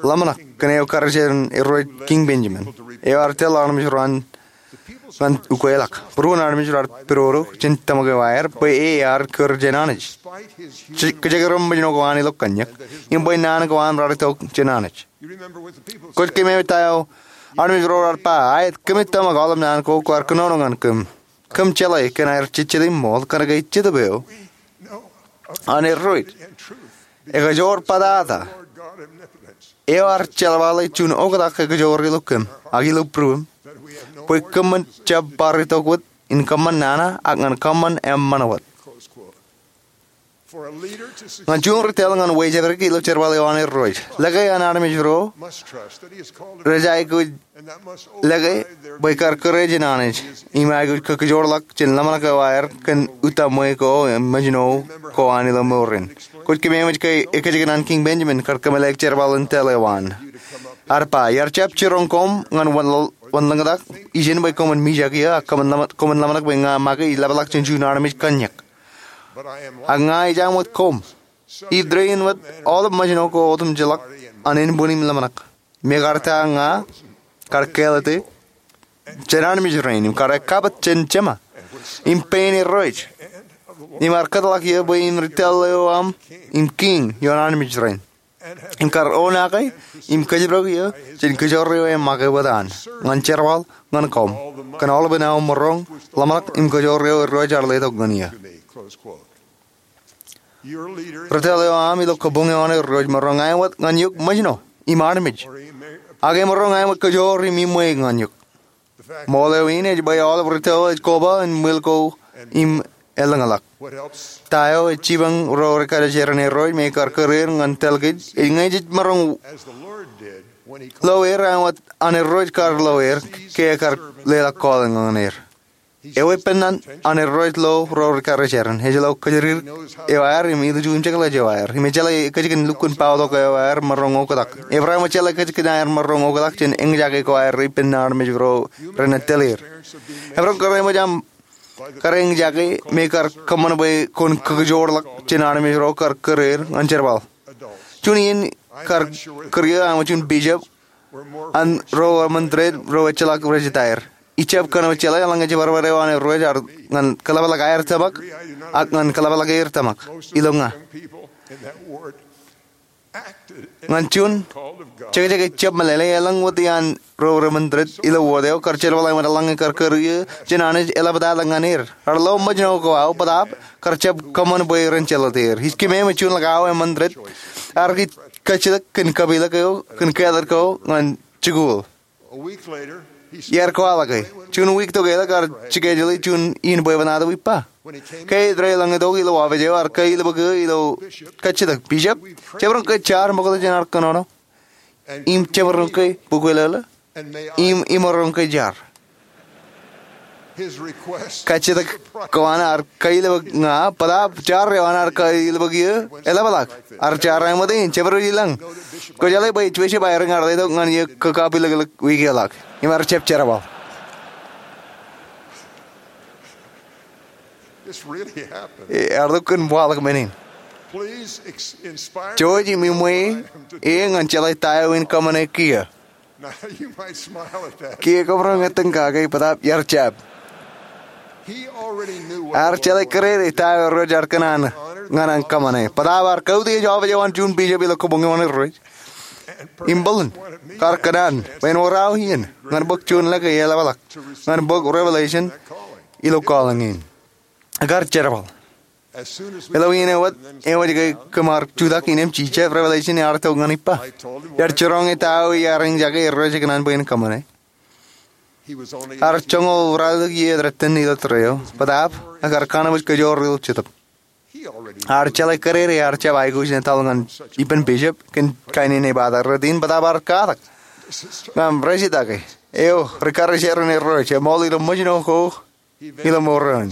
Ḷōmṇak kōn eo karijin Irooj Kiiñ Benjamin, eo ear tōl armej ro an ñan ukweḷọk. Būruon armej raar pidodo jān tōmak eo aer bwe e ear kūr jān Anij, kōjekdọọn ṃōjṇọ ko an ilo kōnnyak im bwe naan ko an raar itok jān Anij. Kwōj kōṃṃane ta eo armej ro raar ba, aet, kōmij tōmak aolep naan ko kwaar kōnono ñan kōm. Kōm jeḷā kōn aer jejjet im ṃool kōnke Jetōb eo an Irooj ekajoor patata, eo ear jeḷāḷọk juon oktak ekajoor ilo kōm ak ilo būruōm, bwe kōm jab bar itok wōt in kōṃṃan nana ak ñan kōṃṃan eṃṃan wōt. Ñan juon ri tōl ñan wejāpdik ilo jerbal eo an Irooj, lōke an armej ro rej aikuj lōke bwe kar kōrā jān Anij im aikuj kōkōjoorḷọk jān ḷōmṇak eo aer kōn utaṃwe ko im mājno ko an ilo mour in. Kwōj kōmeemej ke ekkejek an Kiiñ Benjamin kar kōmeḷeḷe jerbal in tōl eo an. Ear ba, iar jab jiroñ koṃ ñan wanlōñtak ijin bwe koṃwin mijak eō ak koṃwin ḷōmṇak bwe ña make ij ḷapḷọk jān juon armej kanniōk. Ak ña ij aṃ wōt koṃ. Ij ri in wōt aolep mājno ko otemjej ḷọk an ānbwin im ḷōmṇak. Mekarta ña kar kāālōte jān armej rein im kar ekkapat jān Jema im pein Irooj im ar kōtḷọk eō bwe in ri tōl eo aṃ im kiiñ ioon armej rein im kar oṇaake im kōjparok eō jān kōjoor eo e make wōt an ñan jerbal ñan koṃ kōn aolepān aō maroñ, ḷōmṇak im kōjoor eo Irooj ear letok ñan eō. Ri tōl eo aṃ ilo kabuñ eo an Irooj maroñ āinwōt ñan eok mājno im armej, ak emaroñ āinwōt kōjoor im iṃwe ñan eok. Ṃool eo in ej bwe aolep ri tōl ej koba in ṃwil ko im elōñḷọk. Ta eo ej jipañ ro ri karijeran Irooj me kar kōreer ñan tōl kōj ej ñe jej maroñ lo er āinwōt an Irooj kar lo er ke ekar leḷọk calling ñan er. Eweeppān an Irooj lo ro ri karijeran ej lo kōjatdikdik eo aer im ilju im jekḷaj eo aer im ej jeḷā ekkejek in lukkuun pautok eo aer maroñ oktak. Ebreem ej jeḷā ekkejek in aer maroñ oktak jān eñjake ko aer ippān armej ro renaaj tōl er. Emaroñ kar eṃōj aṃ kar eñjake me kar kōṃṃan bwe kwōn kōkōjoorḷọk jān armej ro kar kōreer ñan jerbal. Juon iien kar kōrā eō aṃ juon bishop an ro remented ro ejjeḷọk rej etaer. Ij jab kōṇaan jeḷā eḷaññe jibadbad eo an Irooj ear ñan kōḷapḷọk aer tōmak ak ñan kōḷapḷọk er tōmak ilo ña. Ñan juon jekjek ej jab meḷeḷe, elōñ wōt iaan ro remented ilo wōt eo kar jerbal āinwōt eḷaññe kar kōrā eō jān Anij eḷaptata ñan er. Ear lo mājno ko aō bōtaab kar jab kōṃṃan bwe ren jeḷā er. Ij kōmeemej juon ḷọk aō remented ear kajjitōk kōn kapilōk eo kōn kāālōt ko ñan jikuuḷ. Iar kwaḷọke. Juon wiik tok eḷak ear schedule juon iien bwebwenato ippa. Ke ej reiḷọk itok ilo office eo ear kailōbōk eō ilo kajjitōk, bishop, jemaroñ ke jaar ṃokta jān ad kōnono im jemaroñ ke bukweḷeḷe im imaroñ ke jaar. Kajjitōk ko an ear kailōbōk ña bōtaab jaar eo an ear kailōbōk eō eḷapḷọk. Ear jaar āinwōt in, jemaroñ ilọñ. Kwōjeḷā bwe ej bishop aer eñ ear letok ñan eō kapilōklōk wiik eḷak im ear jab jerbal. Ear lukkuun waḷọk men in. Jouj im iṃwe e ñan jeḷā ta eo in kōṃṃane kiiō. Kiiō kwōmaroñ ettōñ kake bōtaab ear jab. Ear jeḷā kōrā ta eo Irooj ear kōṇaan ñan an kōṃṃane bōtaab ear kautiej office eo an juon bishop ilo kabuñ eo an Irooj. Im bōlen kar kōṇaan bwe en wōr aō iien ñan bōk juon lōke eḷapḷọk ñan bōk revelation ilo calling in. Kar jerbal. Ilo iien eo wōt, ewōr ke kōm ar jutak innām ij jab revelation ear itok ñan ippa. Iar jiroñ e ta eo iar eñjake Irooj ekōṇaan bwe en kōṃṃane. Ear joñoul ralitōk iiō eo etan ilo tōre eo bōtaab ekar kōnono kōjoor ilo Jetōb. Ear jeḷā kōrā ear jab aikuj in etal ñan ippān bishop kōn kain in ebata rot in bōtaab ear katak ñan rej itake eo ri karijeran Irooj eṃool ilo mājno ko ilo mour eo in.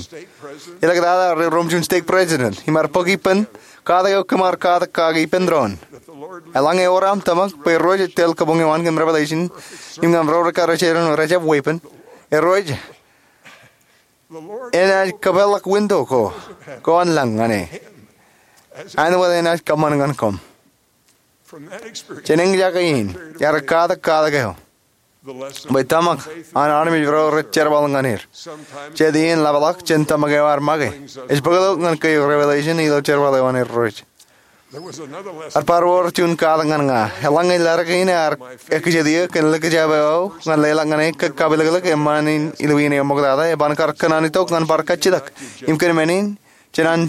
Elōñ tata rej rom juon stake president im ear bōk ippān katak eo kōm ar katak kake ippān doon. Eḷaññe ewōr aṃ tōmak bwe Irooj ej tōl kabuñ eo an kōn revelation im ñan ro ri karijeran rej jab weeppān, Irooj enaaj kōpeḷḷọk window ko kwōn lañ ñan e āinwōt enaaj kōṃṃan ñan koṃ. Jān eñjake in ear katak katak eo bwe tōmak an armej ro rej jerbal ñan er. Jet iien ḷapḷọk jān tōmak eo ear make ej bōktok ñan ke revelation ilo jerbal eo an Irooj. Ear bar wōr juon katak ñan ña. Eḷaññe ledik in ear ekjeti eō kōn likjab eo aō ñan leḷọk ñan e kōj kapilōklōk eṃṃan in ilo iien eo ṃoktata, eban kar kōṇaan itok ñan bar kajjitōk im kōn men in jān an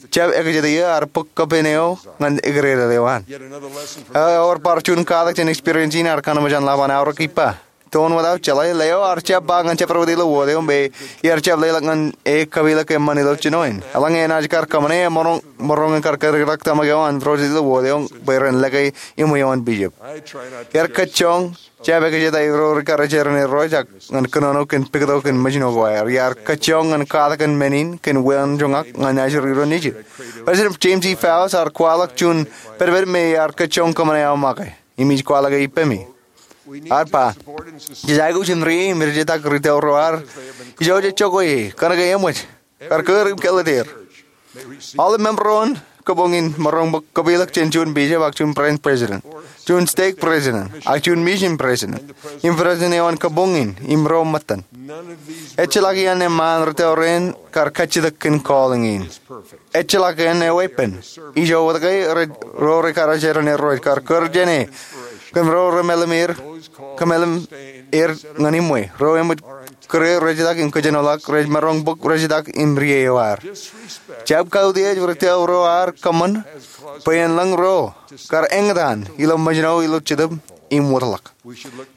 jab ekjeti eō ear bōk kōpin eo ñan ekdedel eo an. Ewōr bar juon katak jān experience in ear kōnono jān ḷap an aorōk ippa. toon wōt aō jeḷā, leo ear jab ba ñan jabdewōt ilo wōt eo bwe iar jab leḷọk ñan e kapeḷḷọk eṃṃan ilo jino in. Eḷaññe enaaj kar kōṃṃane, emaroñ, maroñ in kar kōdikdik tōmak eo an rōjel ilo wōt eo bwe ren lōke iṃwe eo an bishop. Iar kajjioñ jab ekjeta ro rikarijeran Irooj ñan kōnono kōn pukot ko kōn ṃōjin ko aer. Iar kajjioñ ñan katakin men in kōn wāween joñak ñan ajri ro nejid. President James E. Faust ear kwaḷọk juon pedped me iar kajjioñ kōṃṃane aō make. Im ij kwaḷọke ippemi. Ear ba, jej aikuj in ri im rijetak ri tōl ro ad ijo jej jokwe ie, kōnke eṃōj, kar kūr im kōḷḷātier. Aolep member ro an kabuñ in maroñ bōk kapeḷḷọk jān juon bishop ak juon branch president, juon stake president, ak juon mission president, im president eo an kabuñ in im ro ṃōttan. Ejjeḷọk iaan eṃṃaan ri tōl rein kar kajjitōk kōn calling in. Ejjeḷọk iaan eweeppān. Ijo wōt ke ro rikarijeran Irooj kar kūr jāne kōn ro remeḷeḷe er, kōmeḷeḷe er ñan iṃwe. Ro eṃōj kūr rijetak im kōjenolọk, rej maroñ bōk rijetak im ri eo ad. Jab kautiej ri tōl ro ad kōṃṃan bwe en lōñ ro kar eñtaan ilo ṃōjin eo ilo Jetōb im wōtlọk.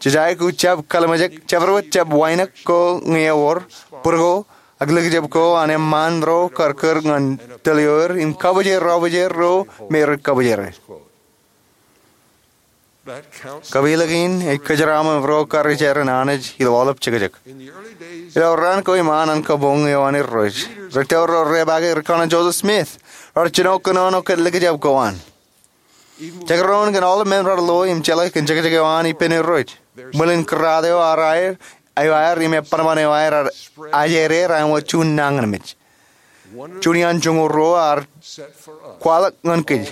Jej aikuj jab kallimjek jabdewōt jab wānōk ko ñe ewōr, bōd ko, ak likjab ko an eṃṃaan ro kar kūr ñan tōl ioer im kabōjrak ro me rej kabōjrak. Kapeḷḷọk in ej kōjeraaṃṃan ro karijeran Anij ilo aolep jekjek. Ilo raan ko iṃaan an kabuñ eo an Irooj, ri tōl ro repaake rikōṇaan Joseph Smith, raar jino kōnono kōn likjab ko an. Jekdọọn kōn aolep men raar lo im jeḷā kōn jekjek eo an ippān Irooj, ṃwilen kōrraad eo aer, eo aer im epanpan eo aer, aer ajeid er āinwōt juon nañinmej. Juon iaan joñoul ruo ear kwaḷọk ñan kōj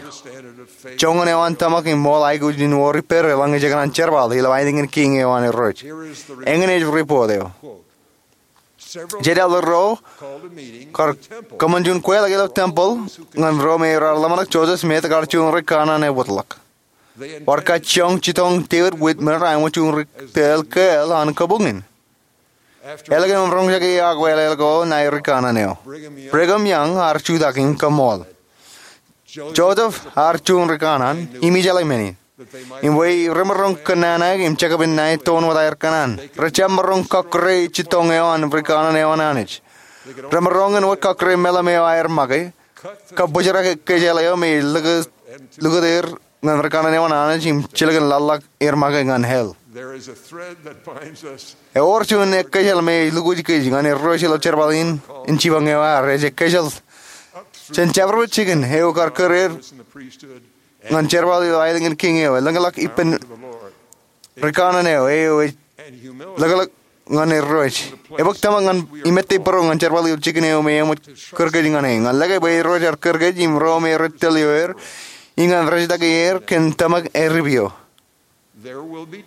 joñan eo an tōmak im ṃool aikuj in wor ippād eḷaññe jekōṇaan jerbal ilo aelōñ in kiiñ eo an Irooj. Eñin ej ripoot eo. Jet elder ro kar kōṃṃan juon kweilọk ilo tempeḷ ñan ro me raar ḷōmṇak Joseph Smith kar juon ri kanaan eo wōtlọk. Bar kajjioñ jitōñ David Whitmer āinwōt juon ri tōl kāāl an kabuñ in. Elōñ im roñjake akwālel ko ṇae ri kanaan eo, Brigham Young ear jutak im kaṃṃool. Joseph ear juon ri kanaan im ijeḷā men in, im bwe remaroñ kōnnaan im jekpen ṇae toon wōt aer kōṇaan, rejjab maroñ kọkkure jitōñ eo an ri kanaan eo an Anij. Remaroñ in wōt kọkkure meḷeḷe eo aer make, kabōjrak ekkejel eo me ej lukkuun er ñan ri kanaan eo an Anij im jilkinḷọk er make ñan hell. Ewōr juon ekkejel me ej lukwōj kōj ñan Irooj ilo jerbal in, in jipañ eo aer. Ej ekkejel jān jabdewōt jikin eo kar kūr er ñan jerbal ilo aelōñ in kiiñ eo, elōñḷọk ippān ri kanaan eo, eo ej lōklōk ñan Irooj. Ebōk tōmak ñan imettebōro ñan jerbal ilo jikin eo me eṃōj kūr kōj ñan e. Ñan lōke bwe Irooj ear kūr kōj im ro me rej tōl ioer, im ñan rijetak er kōn tōmak eripio.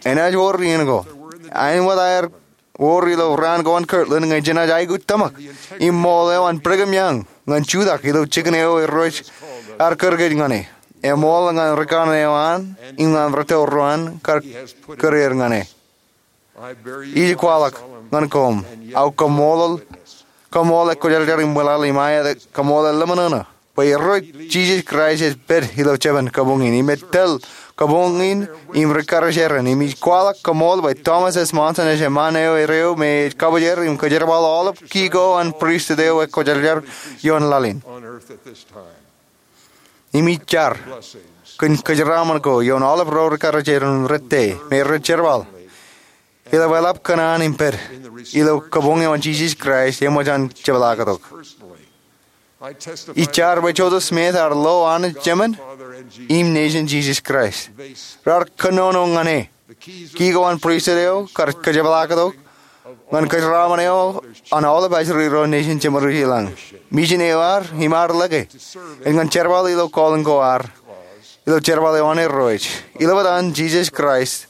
Enaaj wōr iien ko, āinwōt aer wōr ilo raan ko an Kirtland, ñe jenaaj aikuj tōmak im ṃool eo an Brigham Young ñan jutak ilo jikin eo Irooj ear kūr kōj ñan e. Eṃool ñan ri kanaan eo an im ñan ri tōl ro an kar kūr er ñan e. Ij kwaḷọk ñan koṃ aō kaṃṃoolol, kaṃṃoolol ekwōjarjar im ṃwilaḷ im aet kaṃṃoolol ḷōmṇak bwe Irooj Jisōs Kraist ej pād ilo jeban kabuñ in im ej tōl kabuñ in im ri karijeran. Im ij kwaḷọk kaṃṃool bwe Thomas S. Monson ej eṃṃaan eo eo me ej kabōjrak im kōjerbal aolep kiki ko an pristut eo ekwōjarjar ioon laḷ in. Im ij jar kōn kōjeraaṃṃan ko ioon aolep ro ri karijeran rūtto me rej jerbal ilo eḷap kōṇaan im pād ilo kabuñ eo an Jisōs Kraist eṃōj an jepḷaaktok. Ij jar bwe Joseph Smith ear lo Anij Jemān im Nejin Jisōs Kraist. Raar kōnono ñan e. Kiki ko an pristut eo kar kōjepḷaaktok ñan kōjeraaṃṃan eo an aolep ajri ro nejin jeṃadwōj ilañ. Mission eo ad im ad lōke ej ñan jerbal ilo calling ko ad, ilo jerbal eo an Irooj, ilo etan Jisōs Kraist.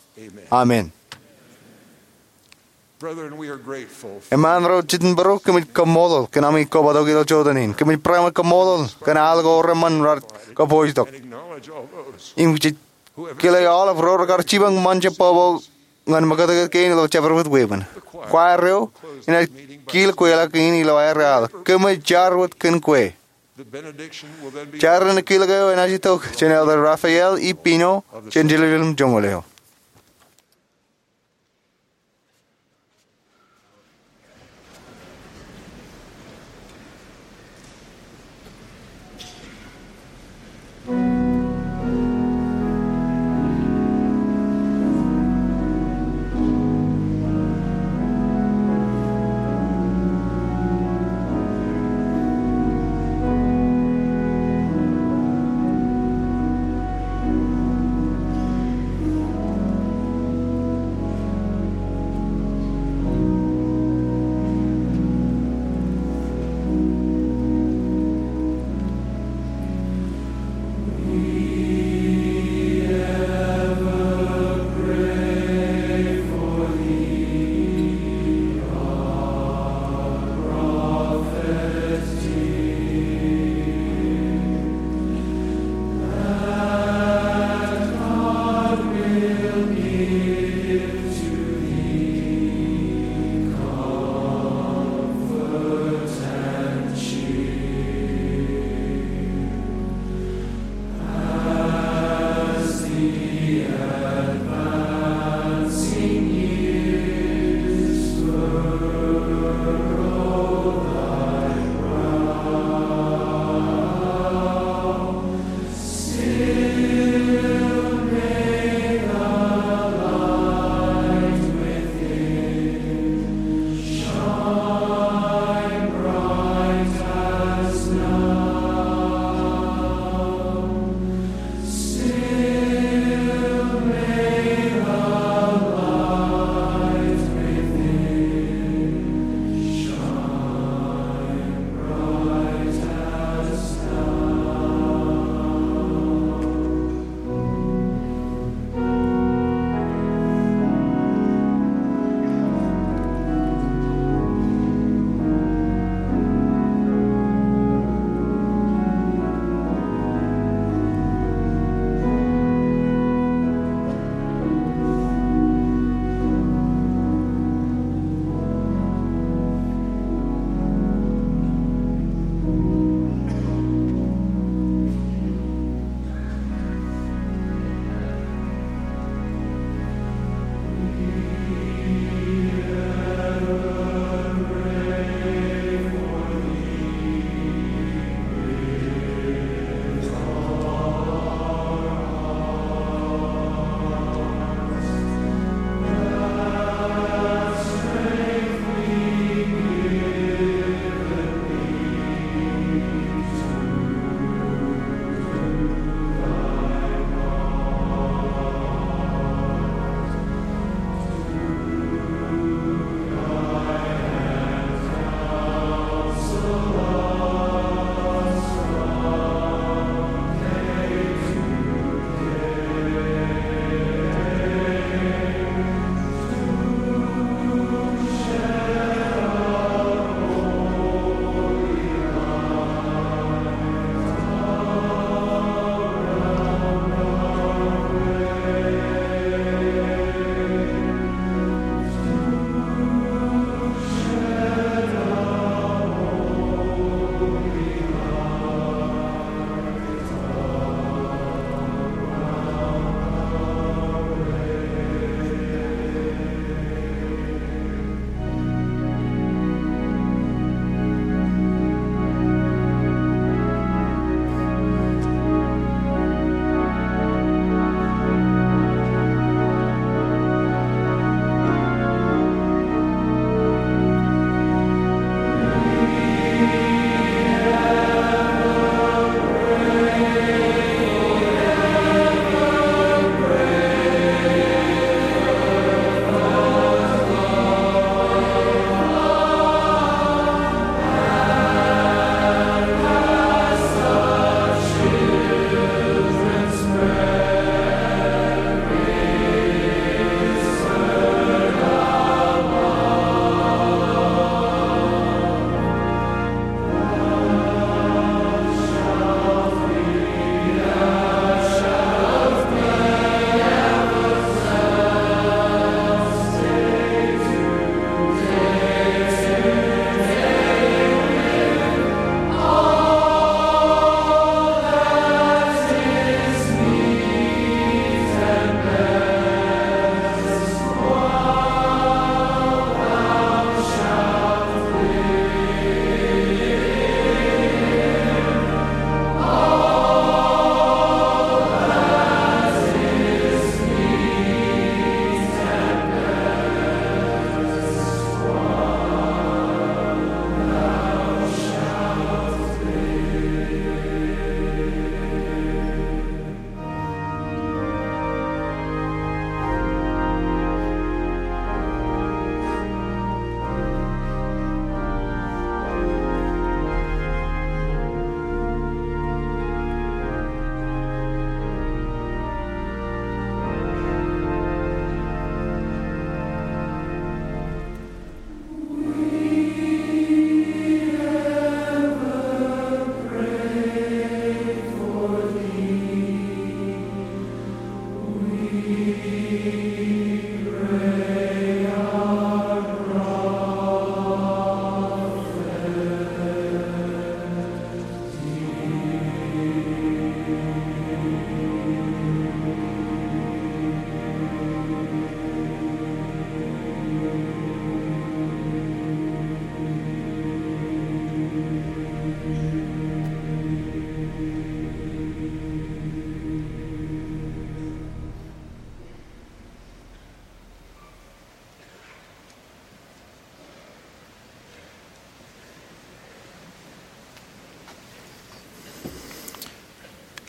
Amen. Eṃṃaan ro jitōnbōro, kōmij kaṃṃoolol kōn ami kobatok ilo jota in. Kōmij barāinwōt kaṃṃoolol kōn al ko reṃṃan raar kōpooj tok. Im jej kile aolep ro rekar jipañ ṃōn jebwebwe ñan ṃōkaj kein ilo jabdewōt weeppān. Choir eo enaaj kiil kweilọk in ilo aer al. Kōmij jar wōt kōn kwe. Jar in kile eo enaaj itok jān Elder Rafael E. Pino jān Jerusalem joñoul eo.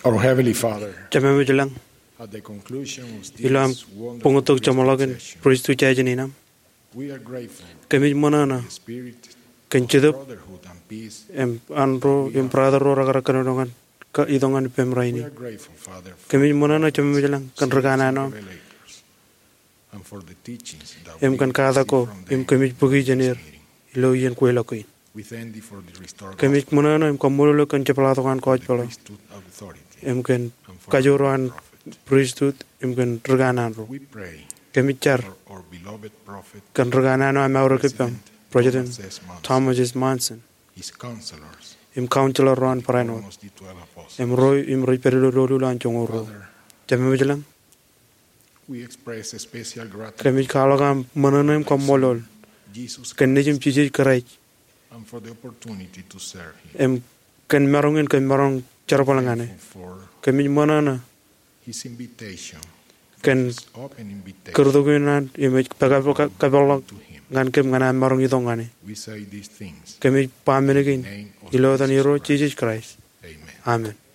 Our Heavenly Father, Jemem ej lañ, at the conclusion of ilo am this wonderful buñtok jeṃḷọkin session, pristut jān in aṃ, we are grateful kōmij ṃōṇōṇō for the spirit kōn of jetōb brotherhood and peace im an ro we im are brother ro rekar kōnono ñan itok ñan ippem rainin. We are grateful, Father, for kōmij ṃōṇōṇō, Jemem ej lañ, kōn ri kanaan eo aṃ revelators and for the teachings that im we kōn katak ko receive from im them kōmij bōki in jān this er meeting. Ilo iien kweilọk kein. We thank thee for the restored gospel, kōmij ṃōṇōṇō im kaṃṃoolol eok kōn jepḷaaktok an kọọjpeḷ eo, the priesthood authority, im kōn and for kajoor eo an the prophet, pristut im kōn ri kanaan ro. We pray, kōmij jar, for our beloved prophet, kōn ri kanaan eo aṃ eaorōk ippaṃ, President President Thomas S. Monson, Thomas S. Monson, his counselors, im counselor ro an barāinwōt, amongst the twelve apostles, im ro im rej pād ilo doulul an joñoul ruo. Father, Jemem ej lañ, we express a special gratitude kōmij kwaḷọk aṃ ṃōṇōṇō im kaṃṃoolol Jesus kōn Nejūṃ Christ, Jisōs Kraist, and for the opportunity to serve him. Im kōn maroñ in kōm maroñ jerbal ñan e. Thankful for kōmij ṃōṇōṇō his invitation, kōn his open invitation kūrtok in an im ej pād kab-, kab-, kapeḷḷọk to him, ñan kōm ñan aṃ maroñ itok ñan e. We say these things kōmij ba men kein in the name of ilo etan Jesus Irooj Christ, Jisōs Kraist. Amen. Amen.